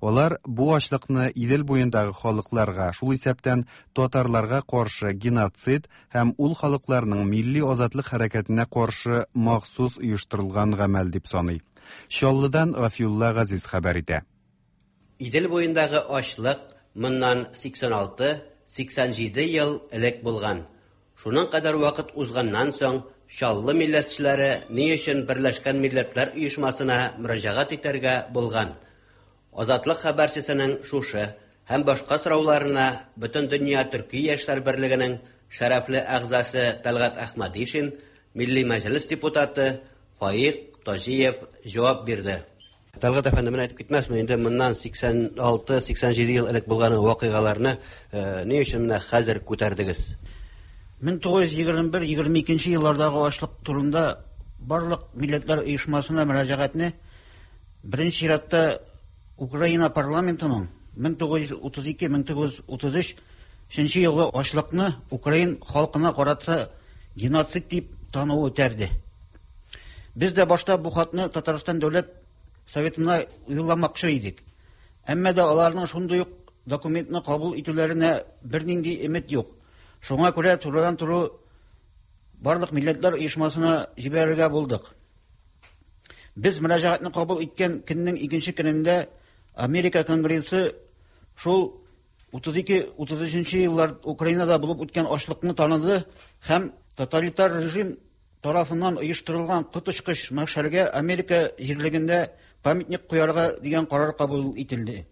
Алар бу ачлыкны Идел буендагы халыкларга, шул исәптән татарларга каршы геноцид һәм ул халыкларның милли азатлык хәрәкәтенә каршы махсус оештырылган гамәл дип саный. Чаллыдан Гафиулла Газиз хәбәр итә. Идел буендагы ачлык моннан сиксән алты, сиксән җиде ел элек булган. Шуның кадәр вакыт узганнан соң Чаллы милләтчеләре ни өчен Берләшкән Милләтләр Оешмасына мөрәҗәгать итәргә булган? Азатлык хәбәрчесенең шушы һәм башка сорауларына Бөтендөнья Төрки яшьләр берлегенең шәрәфле әгъзасы Тәлгать Әхмәдишин, Милли Мәҗлес депутаты Фаик Таҗиев җавап бирде. Тәлгать әфәнде, менә әйтеп китмәсме, инде моннан сиксән алты, сиксән җиде ел элек булган вакыйгаларны ни өчен менә хәзер күтәрдегез? мең тугыз йөз егерме бер, егерме икенче еллардагы ачлык турында барлык милләтләр оешмасына мөрәҗәгатьне беренче чиратта Украина парламентының мең тугыз йөз утыз ике, мең тугыз йөз утыз өч нче елгы ачлыкны украин халкына карата геноцид дип тануы үтәрде. Без дә башта бу хатны Татарстан дәүләт советына юлламакчы идек. Әмма дә аларның шундый ук документны кабул итүләренә бернинди өмет юк. Шуңа күрә турыдан-туры барлык милләтләр оешмасына җибәрергә булдык. Без мөрәҗәгатьне кабул иткән көннең икенче көнендә Америка Конгрессы шул утыз ике, утыз өченче еллар Украинада булып үткән ачлыкны таныды һәм тоталитар режим тарафыннан оештырылган коточкыч мәхшәргә Америка җирлегендә памятник куярга дигән карар кабул ителде.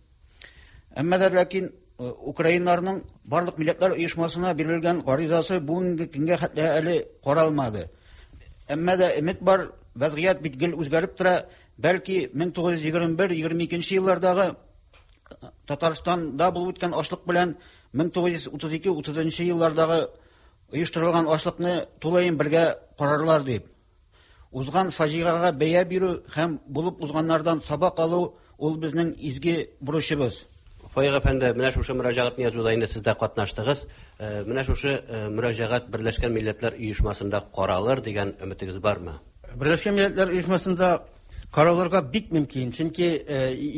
Әмма дә ләкин украиннарның барлык милләтләр оешмасына бирелгән гаризасы бүгенге көнгә хәтле әле каралмады. Әмма дә өмет бар, вазгыять бит гел үзгәреп тора. Бәлки мең тугыз йөз егерме бер, егерме икенче еллардагы Татарстанда булып үткән ачлык белән мең тугыз йөз утыз ике, утызынчы еллардагы оештырылган ачлыкны тулаем бергә карарлар дип. Узган фаҗигагә бәя бирү һәм булып узганнардан сабак алу ул безнең изге бурычыбыз. Фаик әфәнде, менә шушы мөрәҗәгатьне язуда инде сез дә катнаштыгыз. Менә шушы мөрәҗәгать Берләшкән Милләтләр Оешмасында каралыр дигән өметегез бармы? Берләшкән Милләтләр Оешмасында каралырга бик мөмкин. Чөнки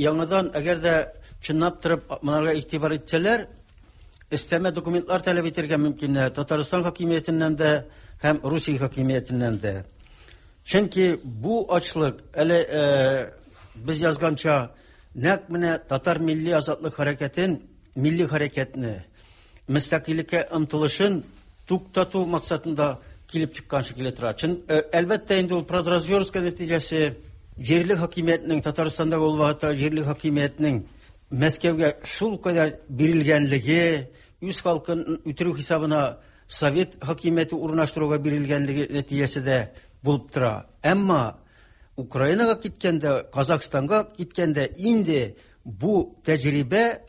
яңадан әгәр дә чынлап торып моңарга игътибар итсәләр, өстәмә документлар таләп итәргә мөмкиннәр Татарстан хакимиятеннән дә һәм Русия хакимиятеннән дә. Чөнки бу ачлык әле без язганча нәкъ менә татар милли азатлык хәрәкәтен, милли хәрәкәтне, мөстәкыйльлеккә омтылышын туктату максатында килеп чыккан шикелле тора. Чын, әлбәттә инде ул продразверстка нәтиҗәсе җирле хакимиятнең Татарстанда ул вакытта җирле хакимиятнең Мәскәүгә шул кадәр бирелгәнлеге, үз халкын үтерү хисабына совет хакимияте урнаштыруга бирелгәнлеге нәтиҗәсе дә булып тора. Әмма Украинага киткәндә, Казахстанга киткәндә инде бу тәҗрибә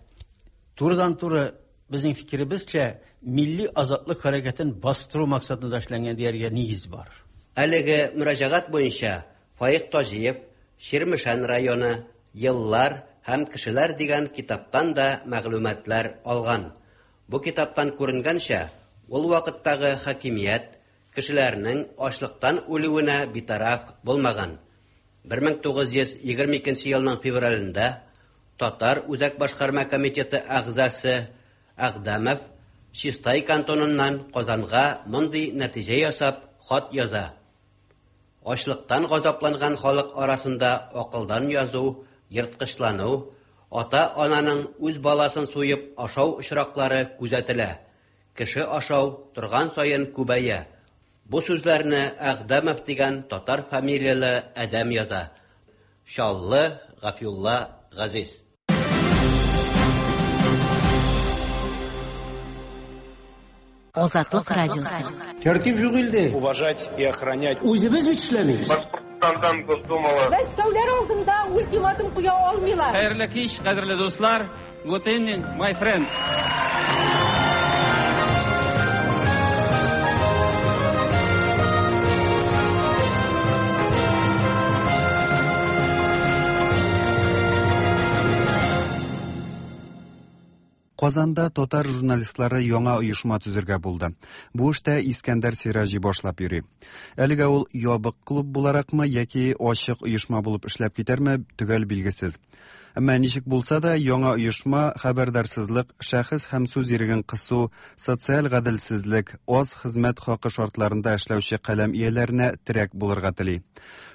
турыдан-туры безнең фикеребезчә милли азатлык хәрәкәтен бастыру максатында эшләнгән дияргә нигез бар. Әлеге мөрәҗәгать буенча Фаик Таҗиев Чирмешән районы Еллар һәм кешеләр дигән китаптан да мәгълүматлар алган. Бу китаптан күренгәнчә, ул вакыттагы хакимият кешеләрнең ачлыктан үлүенә битараф булмаган. бер мең тугыз йөз егерме икенче елның февралендә Татар Үзәк Башкарма комитеты әгъзасы Әгъдәмов Чистай кантоныннан Казанга мондый нәтиҗә ясап хат яза. Ачлыктан газапланган халык арасында акылдан язу, ерткычлану, ата-ананың үз баласын суеп ашау очраклары күзәтелә. Кеше ашау торган саен күбәя. Бу сүзләрне Әгъдәмов дигән татар фамилияле адәм яза. Чаллы Гафиулла Газиз. Азатлык радиосы. Тәртип юк илдә. Уважать и охранять. Үзебез бит эшләмибез. Башкортстандан Госдумала. Мәскәүләр алдында ультиматум куя алмыйлар. Хәерле кич, кадерле дуслар. Good evening, my friends. Казанда татар журналистлары яңа оешма төзергә булды. Бу эштә Искәндәр Сираҗи башлап йөри. Әлегә ул ябык клуб буларакмы яки ачык оешма булып эшләп китәрме, төгәл билгесез. Әмма ничек булса да, яңа оешма хәбәрдарсызлык, шәхес һәм сүз иреген кысу, социаль гаделсезлек, аз хезмәт хакы шартларында эшләүче каләм ияләренә терәк булырга тели.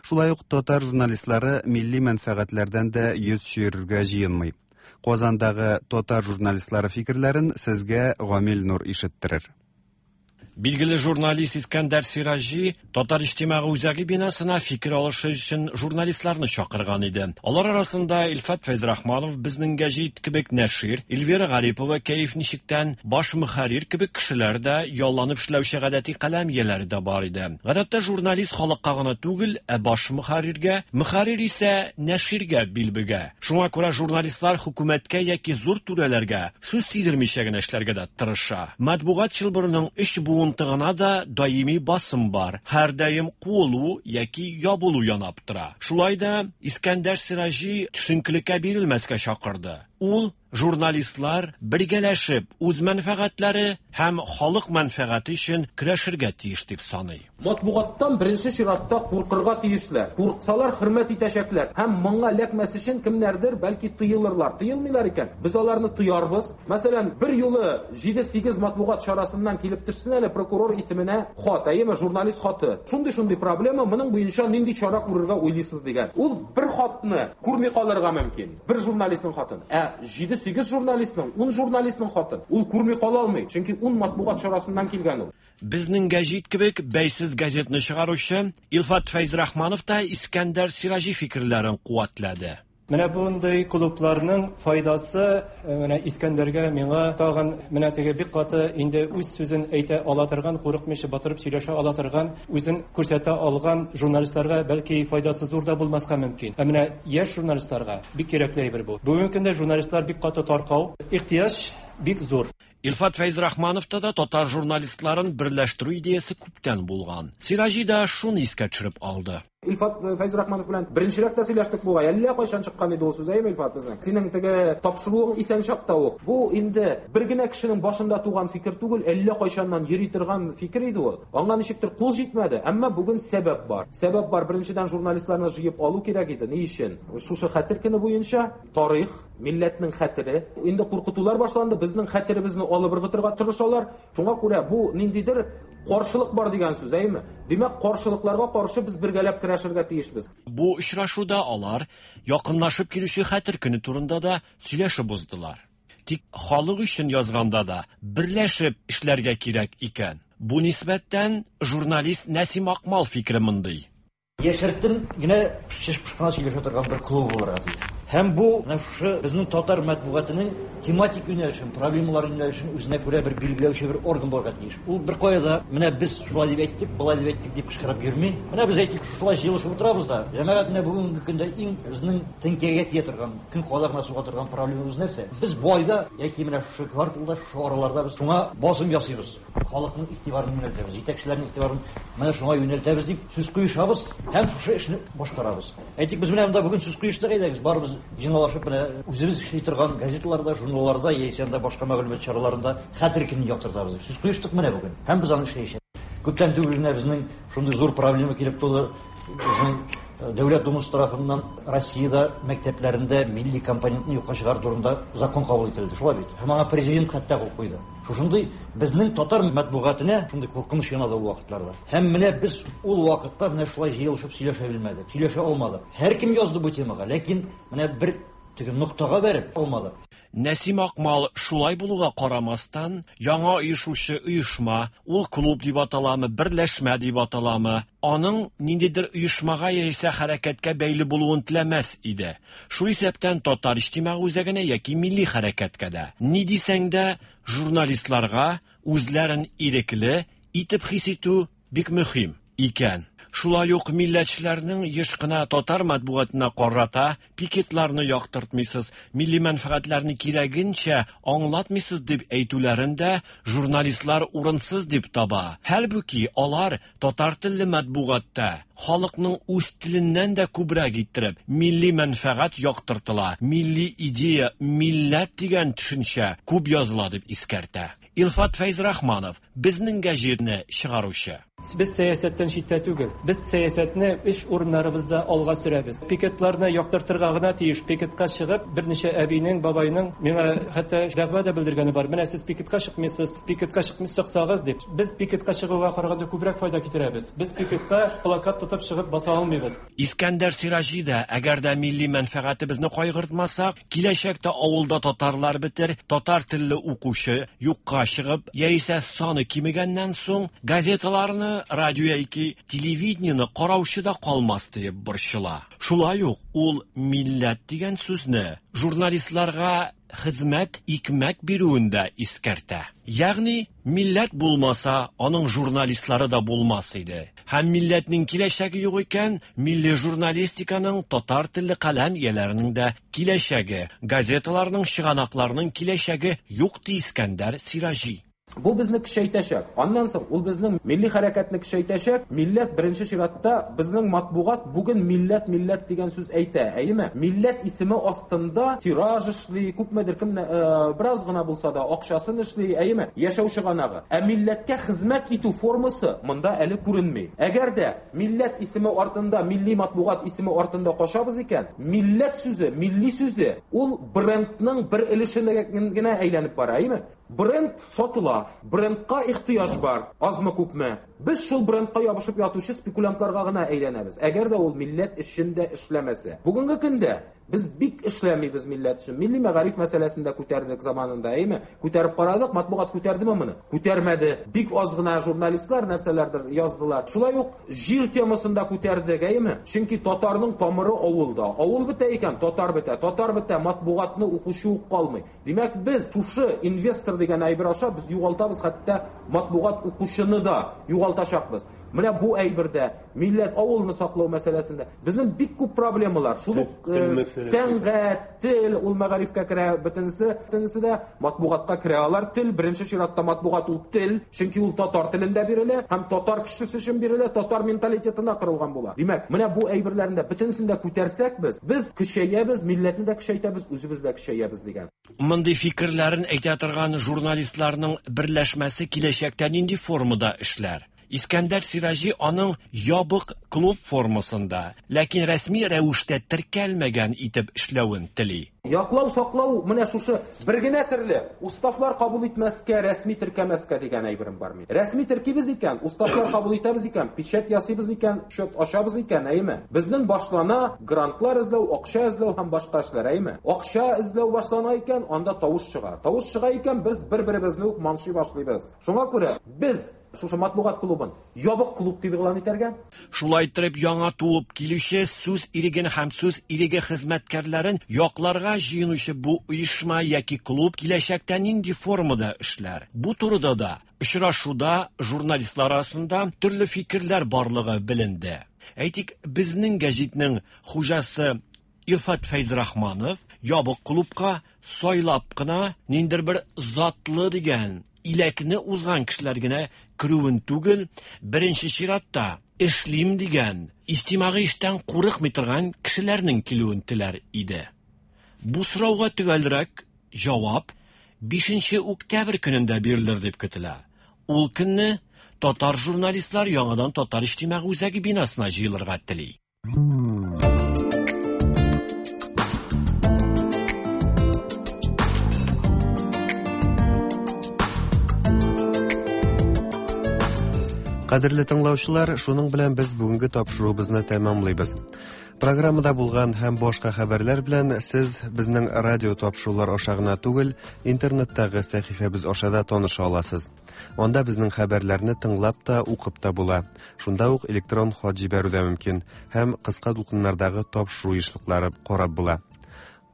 Шулай ук татар журналистлары милли мәнфәгатьләрдән дә йөз чөерергә җыенмый. Казандагы татар журналистлары фикерләрен сезгә Гамил Нур ишеттерер. Билгеле журналист Искәндәр Сираҗи Татар иҗтимагый үзәге бинасына фикер алышы өчен журналистларны чакырган иде. Алар арасында Илфат Фәйзрахманов, Безнең гәҗит кебек нәшир, Эльвира Гарипова, Кәеф ничектән, баш мөхәррир кебек кешеләр дә, ялланып эшләүче гадәти каләм ияләре дә бар иде. Гадәттә журналист халыкка гына түгел, ә баш мөхәрриргә, мөхәррир исә нәширгә бил бөгә. Шуңа күрә журналистлар хөкүмәткә яки зур түрәләргә сүз тидермичә генә эшләргә дә тырыша. Матбугат чылбырының өч буынтыгына да даими басым бар. Һәр даим куылу яки ябылу янап тора. Шулай да Искәндәр Сираҗи төшенкелеккә бирелмәскә чакырды. Ул журналистлар бергәләшеп үз мәнфәгатьләре һәм халык мәнфәгате өчен көрәшергә тиеш дип саный. Матбугаттан беренче чиратта куркырга тиешләр. Курксалар хөрмәт итәчәкләр һәм моңа эләкмәс өчен кемнәрдер бәлки тыелырлар. Тыелмыйлар икән, без аларны тыярбыз. Мәсәлән, бер юлы җиде-сигез матбугат чарасыннан килеп төшсен әле прокурор исеменә хат, әйеме, журналист хаты. Шундый-шундый проблема, моның буенча нинди чара күрергә уйлыйсыз дигән. Ул бер хатны күрми калырга мөмкин. Бер журналистның хатын. Ә җиде-сигез журналистның, ун журналистның хатын ул күрми кала алмый, чөнки ун матбугат чарасыннан килгән ул. Безнең гәҗит кебек бәйсез газетны чыгаручы Илфат Фәйзрахманов та Искәндәр Сираҗи фикерләрен куәтләде. Менә бундый клубларның файдасы менә Искәндәргә, миңа тагын менә теге бик каты инде үз сүзен әйтә ала торган, курыкмыйча батырып сөйләшә ала торган, үзен күрсәтә алган журналистларга бәлки файдасы зур да булмаска мөмкин. Ә менә яшь журналистларга бик кирәкле әйбер бу. Бүгенге көндә журналистлар бик каты таркау, ихтыяҗ бик зур. Илфат Фәйзрахмановта да татар журналистларын берләштерү идеясы күптән булган. Сираҗи да шуны искә төшереп алды. Илфат Фәйзрахманов белән беренчерәк тә сөйләштек бугай. Әллә кайчан чыккан иде ул сүз, әйеме, Илфат, безнең? Синең теге тапшыруың исән чакта ук. Бу инде бер генә кешенең башында туган фикер түгел, әллә кайчаннан йөри торган фикер иде ул. Аңа ничектер кул җитмәде, әмма бүген сәбәп бар. Сәбәп бар, беренчедән журналистларны җыеп алу кирәк иде. Ни өчен? Шушы хәтер көне буенча тарих, милләтнең хәтере, инде куркытулар башланды, безнең хәтеребезне алып ыргытырга тырышалар. Шуңа күрә бу ниндидер каршылык бар дигән сүз, әйеме? Димәк, каршылыкларга каршы без бергәләп көрәшергә тиешбез. Бу очрашуда алар якынлашып килүче хәтер көне турында да сөйләшеп уздылар. Тик халык өчен язганда да берләшеп эшләргә кирәк икән. Бу нисбәттән журналист Нәсим Акмал фикере мондый. Яшертен генә шеш-пышкына сөйләшә торган бер клуб булырга тиеш. Һәм бу менә шушы безнең татар матбугатының тематик юнәлешен, проблемалар юнәлешен үзенә күрә бер билгеләүче бер орган булырга тиеш. Ул бер кая да менә без шулай дип әйттек, болай дип әйттек дип кычкырып йөрми. Менә без әйттек, шулай җыелышып утырабыз да. Җәмәгать, менә бүгенге көндә иң безнең теңкәгә тия торган, көн кадагына суга торган проблемабыз нәрсә? Без бу айда яки менә шушы кварталда, шушы араларда без шуңа басым ясыйбыз. Халыкның игътибарын юнәлтәбез, җитәкчеләрнең игътибарын менә шуңа юнәлтәбез дип сүз куешабыз һәм шушы эшне башкарабыз. Әйтик, без менә монда бүген сүз куештык, әйдәгез, барыбыз җыйналышып менә үзебез эшли торган газеталарда, журналларда яисә анда башка мәгълүмат чараларында хәтер көнен яктыртабыз дип сүз куештык менә бүген. Һәм без аны эшләячәкбез. Күптән түгел генә безнең шундый зур проблема килеп туды. Безнең Дәүләт Думасы тарафыннан Россиядә мәктәпләрендә милли компонентны юкка чыгару турында закон кабул ителде. Шулай бит. Һәм аңа президент хәтта кул куйды. Шушындый безнең татар матбугатына шундый куркыныч янады ул вакытларда. Һәм менә без ул вакытта менә шулай җыелышып сөйләшә белмәдек, сөйләшә алмадык. Һәркем язды бу темага, ләкин менә бер теге ноктага бәреп алмадык. Нәсим Акмал шулай булуга карамастан, яңа оешучы оешма, ул клуб дип аталамы, берләшмә дип аталамы, аның ниндидер оешмага яисә хәрәкәткә бәйле булуын теләмәс иде. Шул исәптән татар иҗтимагый үзәгенә яки милли хәрәкәткә дә. Ни дисәң дә, журналистларга үзләрен ирекле итеп хис итү бик мөһим икән. Шулай ук милләтчеләрнең еш кына татар матбугатына карата пикетларны яктыртмыйсыз, милли мәнфәгатьләрне кирәгенчә аңлатмыйсыз дип әйтүләрен дә журналистлар урынсыз дип таба. Хәлбуки алар татар телле матбугатта халыкның үз теленнән дә күбрәк иттереп милли мәнфәгать яктыртыла, милли идея, милләт дигән төшенчә күп языла дип искәртә. Илфат Фәйзрахманов, безнең гәҗитне чыгаручы. Без сәясәттән читтә түгел. Без сәясәтне эш урыннарыбызда алга сөрәбез. Пикетларны яктыртырга гына тиеш. Пикетка чыгып, берничә әбинең, бабайның миңа хәтта дәгъва да белдергәне бар. Менә сез пикетка чыкмыйсыз, пикетка чыксагыз дип. Без пикетка чыгуга караганда күбрәк файда китерәбез. Без пикетка плакат тотып чыгып баса алмыйбыз. Искәндәр Сираҗи да, әгәр дә милли мәнфәгатебезне кайгыртмасак, киләчәктә авылда татарлар бетер, татар телле укучы юкка чыгып, яисә саны кимегәннән соң газеталарны, радио яки телевидениене караучы да калмас дип борчыла. Шулай ук ул милләт дигән сүзне журналистларга хезмәт, икмәк бирүен дә искәртә. Ягъни милләт булмаса, аның журналистлары да булмас иде. Һәм милләтнең киләчәге юк икән, милли журналистиканың, татар телле каләм ияләренең дә киләчәге, газеталарның, чыганакларның киләчәге юк ди Искәндәр Сираҗи. Бу безне көчәйтәчәк. Аннан соң ул безнең милли хәрәкәтне көчәйтәчәк. Милләт беренче чиратта безнең матбугат бүген милләт милләт дигән сүз әйтә, әйеме? Милләт исеме астында тираж эшли, күпмедер кем бераз гына булса да акчасын эшли, әйеме? Яшәү чыганагы. Ә милләткә хезмәт итү формасы монда әле күренми. Әгәр дә милләт исеме артында, милли матбугат исеме артында кашабыз икән, милләт сүзе, милли сүзе ул брендның бер өлешенә генә әйләнеп бара, әйеме? Бренд сатыла, брендка ихтыяҗ бар, азмы күпме. Без шул брендка ябышып ятучы спекулянтларга гына әйләнәбез. Әгәр дә ул милләт өчен дә эшләмәсә. Бүгенге көндә без бик эшләмибез милләт өчен. Милли мәгариф мәсьәләсен дә күтәрдек заманында, әйеме? Күтәреп карадык, матбугат күтәрдеме моны? Күтәрмәде. Бик аз гына журналистлар нәрсәләрдер яздылар. Шулай ук җир темасын да күтәрдек, әйеме? Чөнки татарның тамыры авылда. Авыл бетә икән, татар бетә. Татар бетә, матбугатны укучы ук калмый. Димәк, без шушы инвестор дигән әйбер аша без югалтабыз, хәтта матбугат укучыны да югалтачакбыз. Менә бу әйбердә милләт авылны саклау мәсьәләсендә безнең бик күп проблемалар. Шул ук сәнгать, тел, ул мәгарифкә керә, бөтенесе, бөтенесе дә матбугатка керә. Алар тел, беренче чиратта матбугат ул тел, чөнки ул татар телендә бирелә һәм татар кешесе өчен бирелә, татар менталитетына корылган була. Димәк, менә бу әйберләрне дә бөтенесен дә күтәрсәк без, без көчәябез, милләтне дә көчәйтәбез, үзебез дә көчәябез дигән. Мондый фикерләрен әйтә торган журналистларның берләшмәсе киләчәктә нинди формада эшләр? Искәндәр Сираҗи аның ябык клуб формасында, ләкин рәсми рәвештә теркәлмәгән итеп эшләвен тели. Яклау, саклау, менә шушы бер генә төрле уставлар кабул итмәскә, рәсми теркәмәскә дигән әйберем бар мин. Рәсми теркибез икән, уставлар кабул итәбез икән, печать ясыйбыз икән, счет ачабыз икән, әйеме? Безнең башлана грантлар эзләү, акча эзләү һәм башка эшләр, әйеме? Акча эзләү башлана икән, анда тавыш чыга. Тавыш чыга икән, без бер-беребезне үк маншый башлыйбыз. Шуңа күрә без шушы матбугат клубын ябык клуб дип игълан итәргә. Шулай итеп яңа туып килүче сүз иреген һәм сүз иреге хезмәткәрләрен якларга җыенучы бу оешма яки клуб киләчәктә нинди формада эшләр? Бу турыда да очрашуда журналистлар арасында төрле фикерләр барлыгы беленде. Әйтик, безнең гәҗитнең хуҗасы Илфат Фәйзрахманов ябык клубка сайлап кына ниндидер бер затлы дигән иләкне узган кешеләр генә керүен түгел, беренче чиратта эшлим дигән, иҗтимагый эштән курыкмый торган кешеләрнең килүен теләр иде. Бу сорауга төгәлрәк җавап бишенче октябрь көнендә бирелер дип көтелә. Ул көнне татар журналистлар яңадан Татар иҗтимагый үзәге бинасына җыелырга тели. Кадерле тыңлаучылар, шуның белән без бүгенге тапшыруыбызны тәмамлыйбыз. Программада булган һәм башка хәбәрләр белән сез безнең радио тапшырулар аша гына түгел, интернеттагы сәхифәбез аша да таныша аласыз. Анда безнең хәбәрләрне тыңлап та, укып та була. Шунда ук электрон хат җибәрү дә мөмкин һәм кыска дулкыннардагы тапшыру ешлыклары карап була.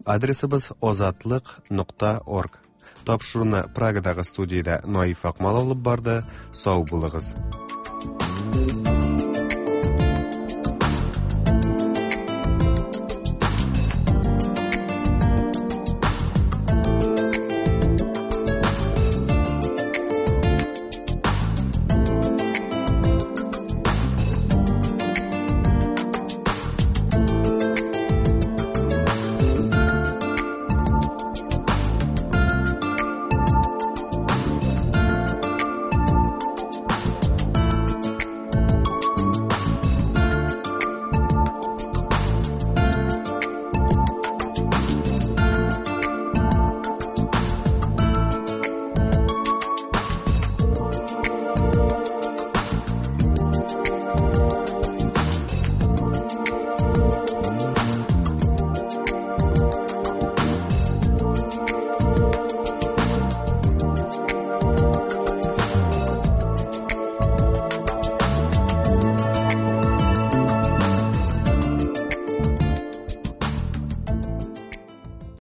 Адресыбыз озатлык нокта орг. Тапшыруны Прагадагы студиядә Наиф Акмал алып барды. Сау булыгыз. Thank you.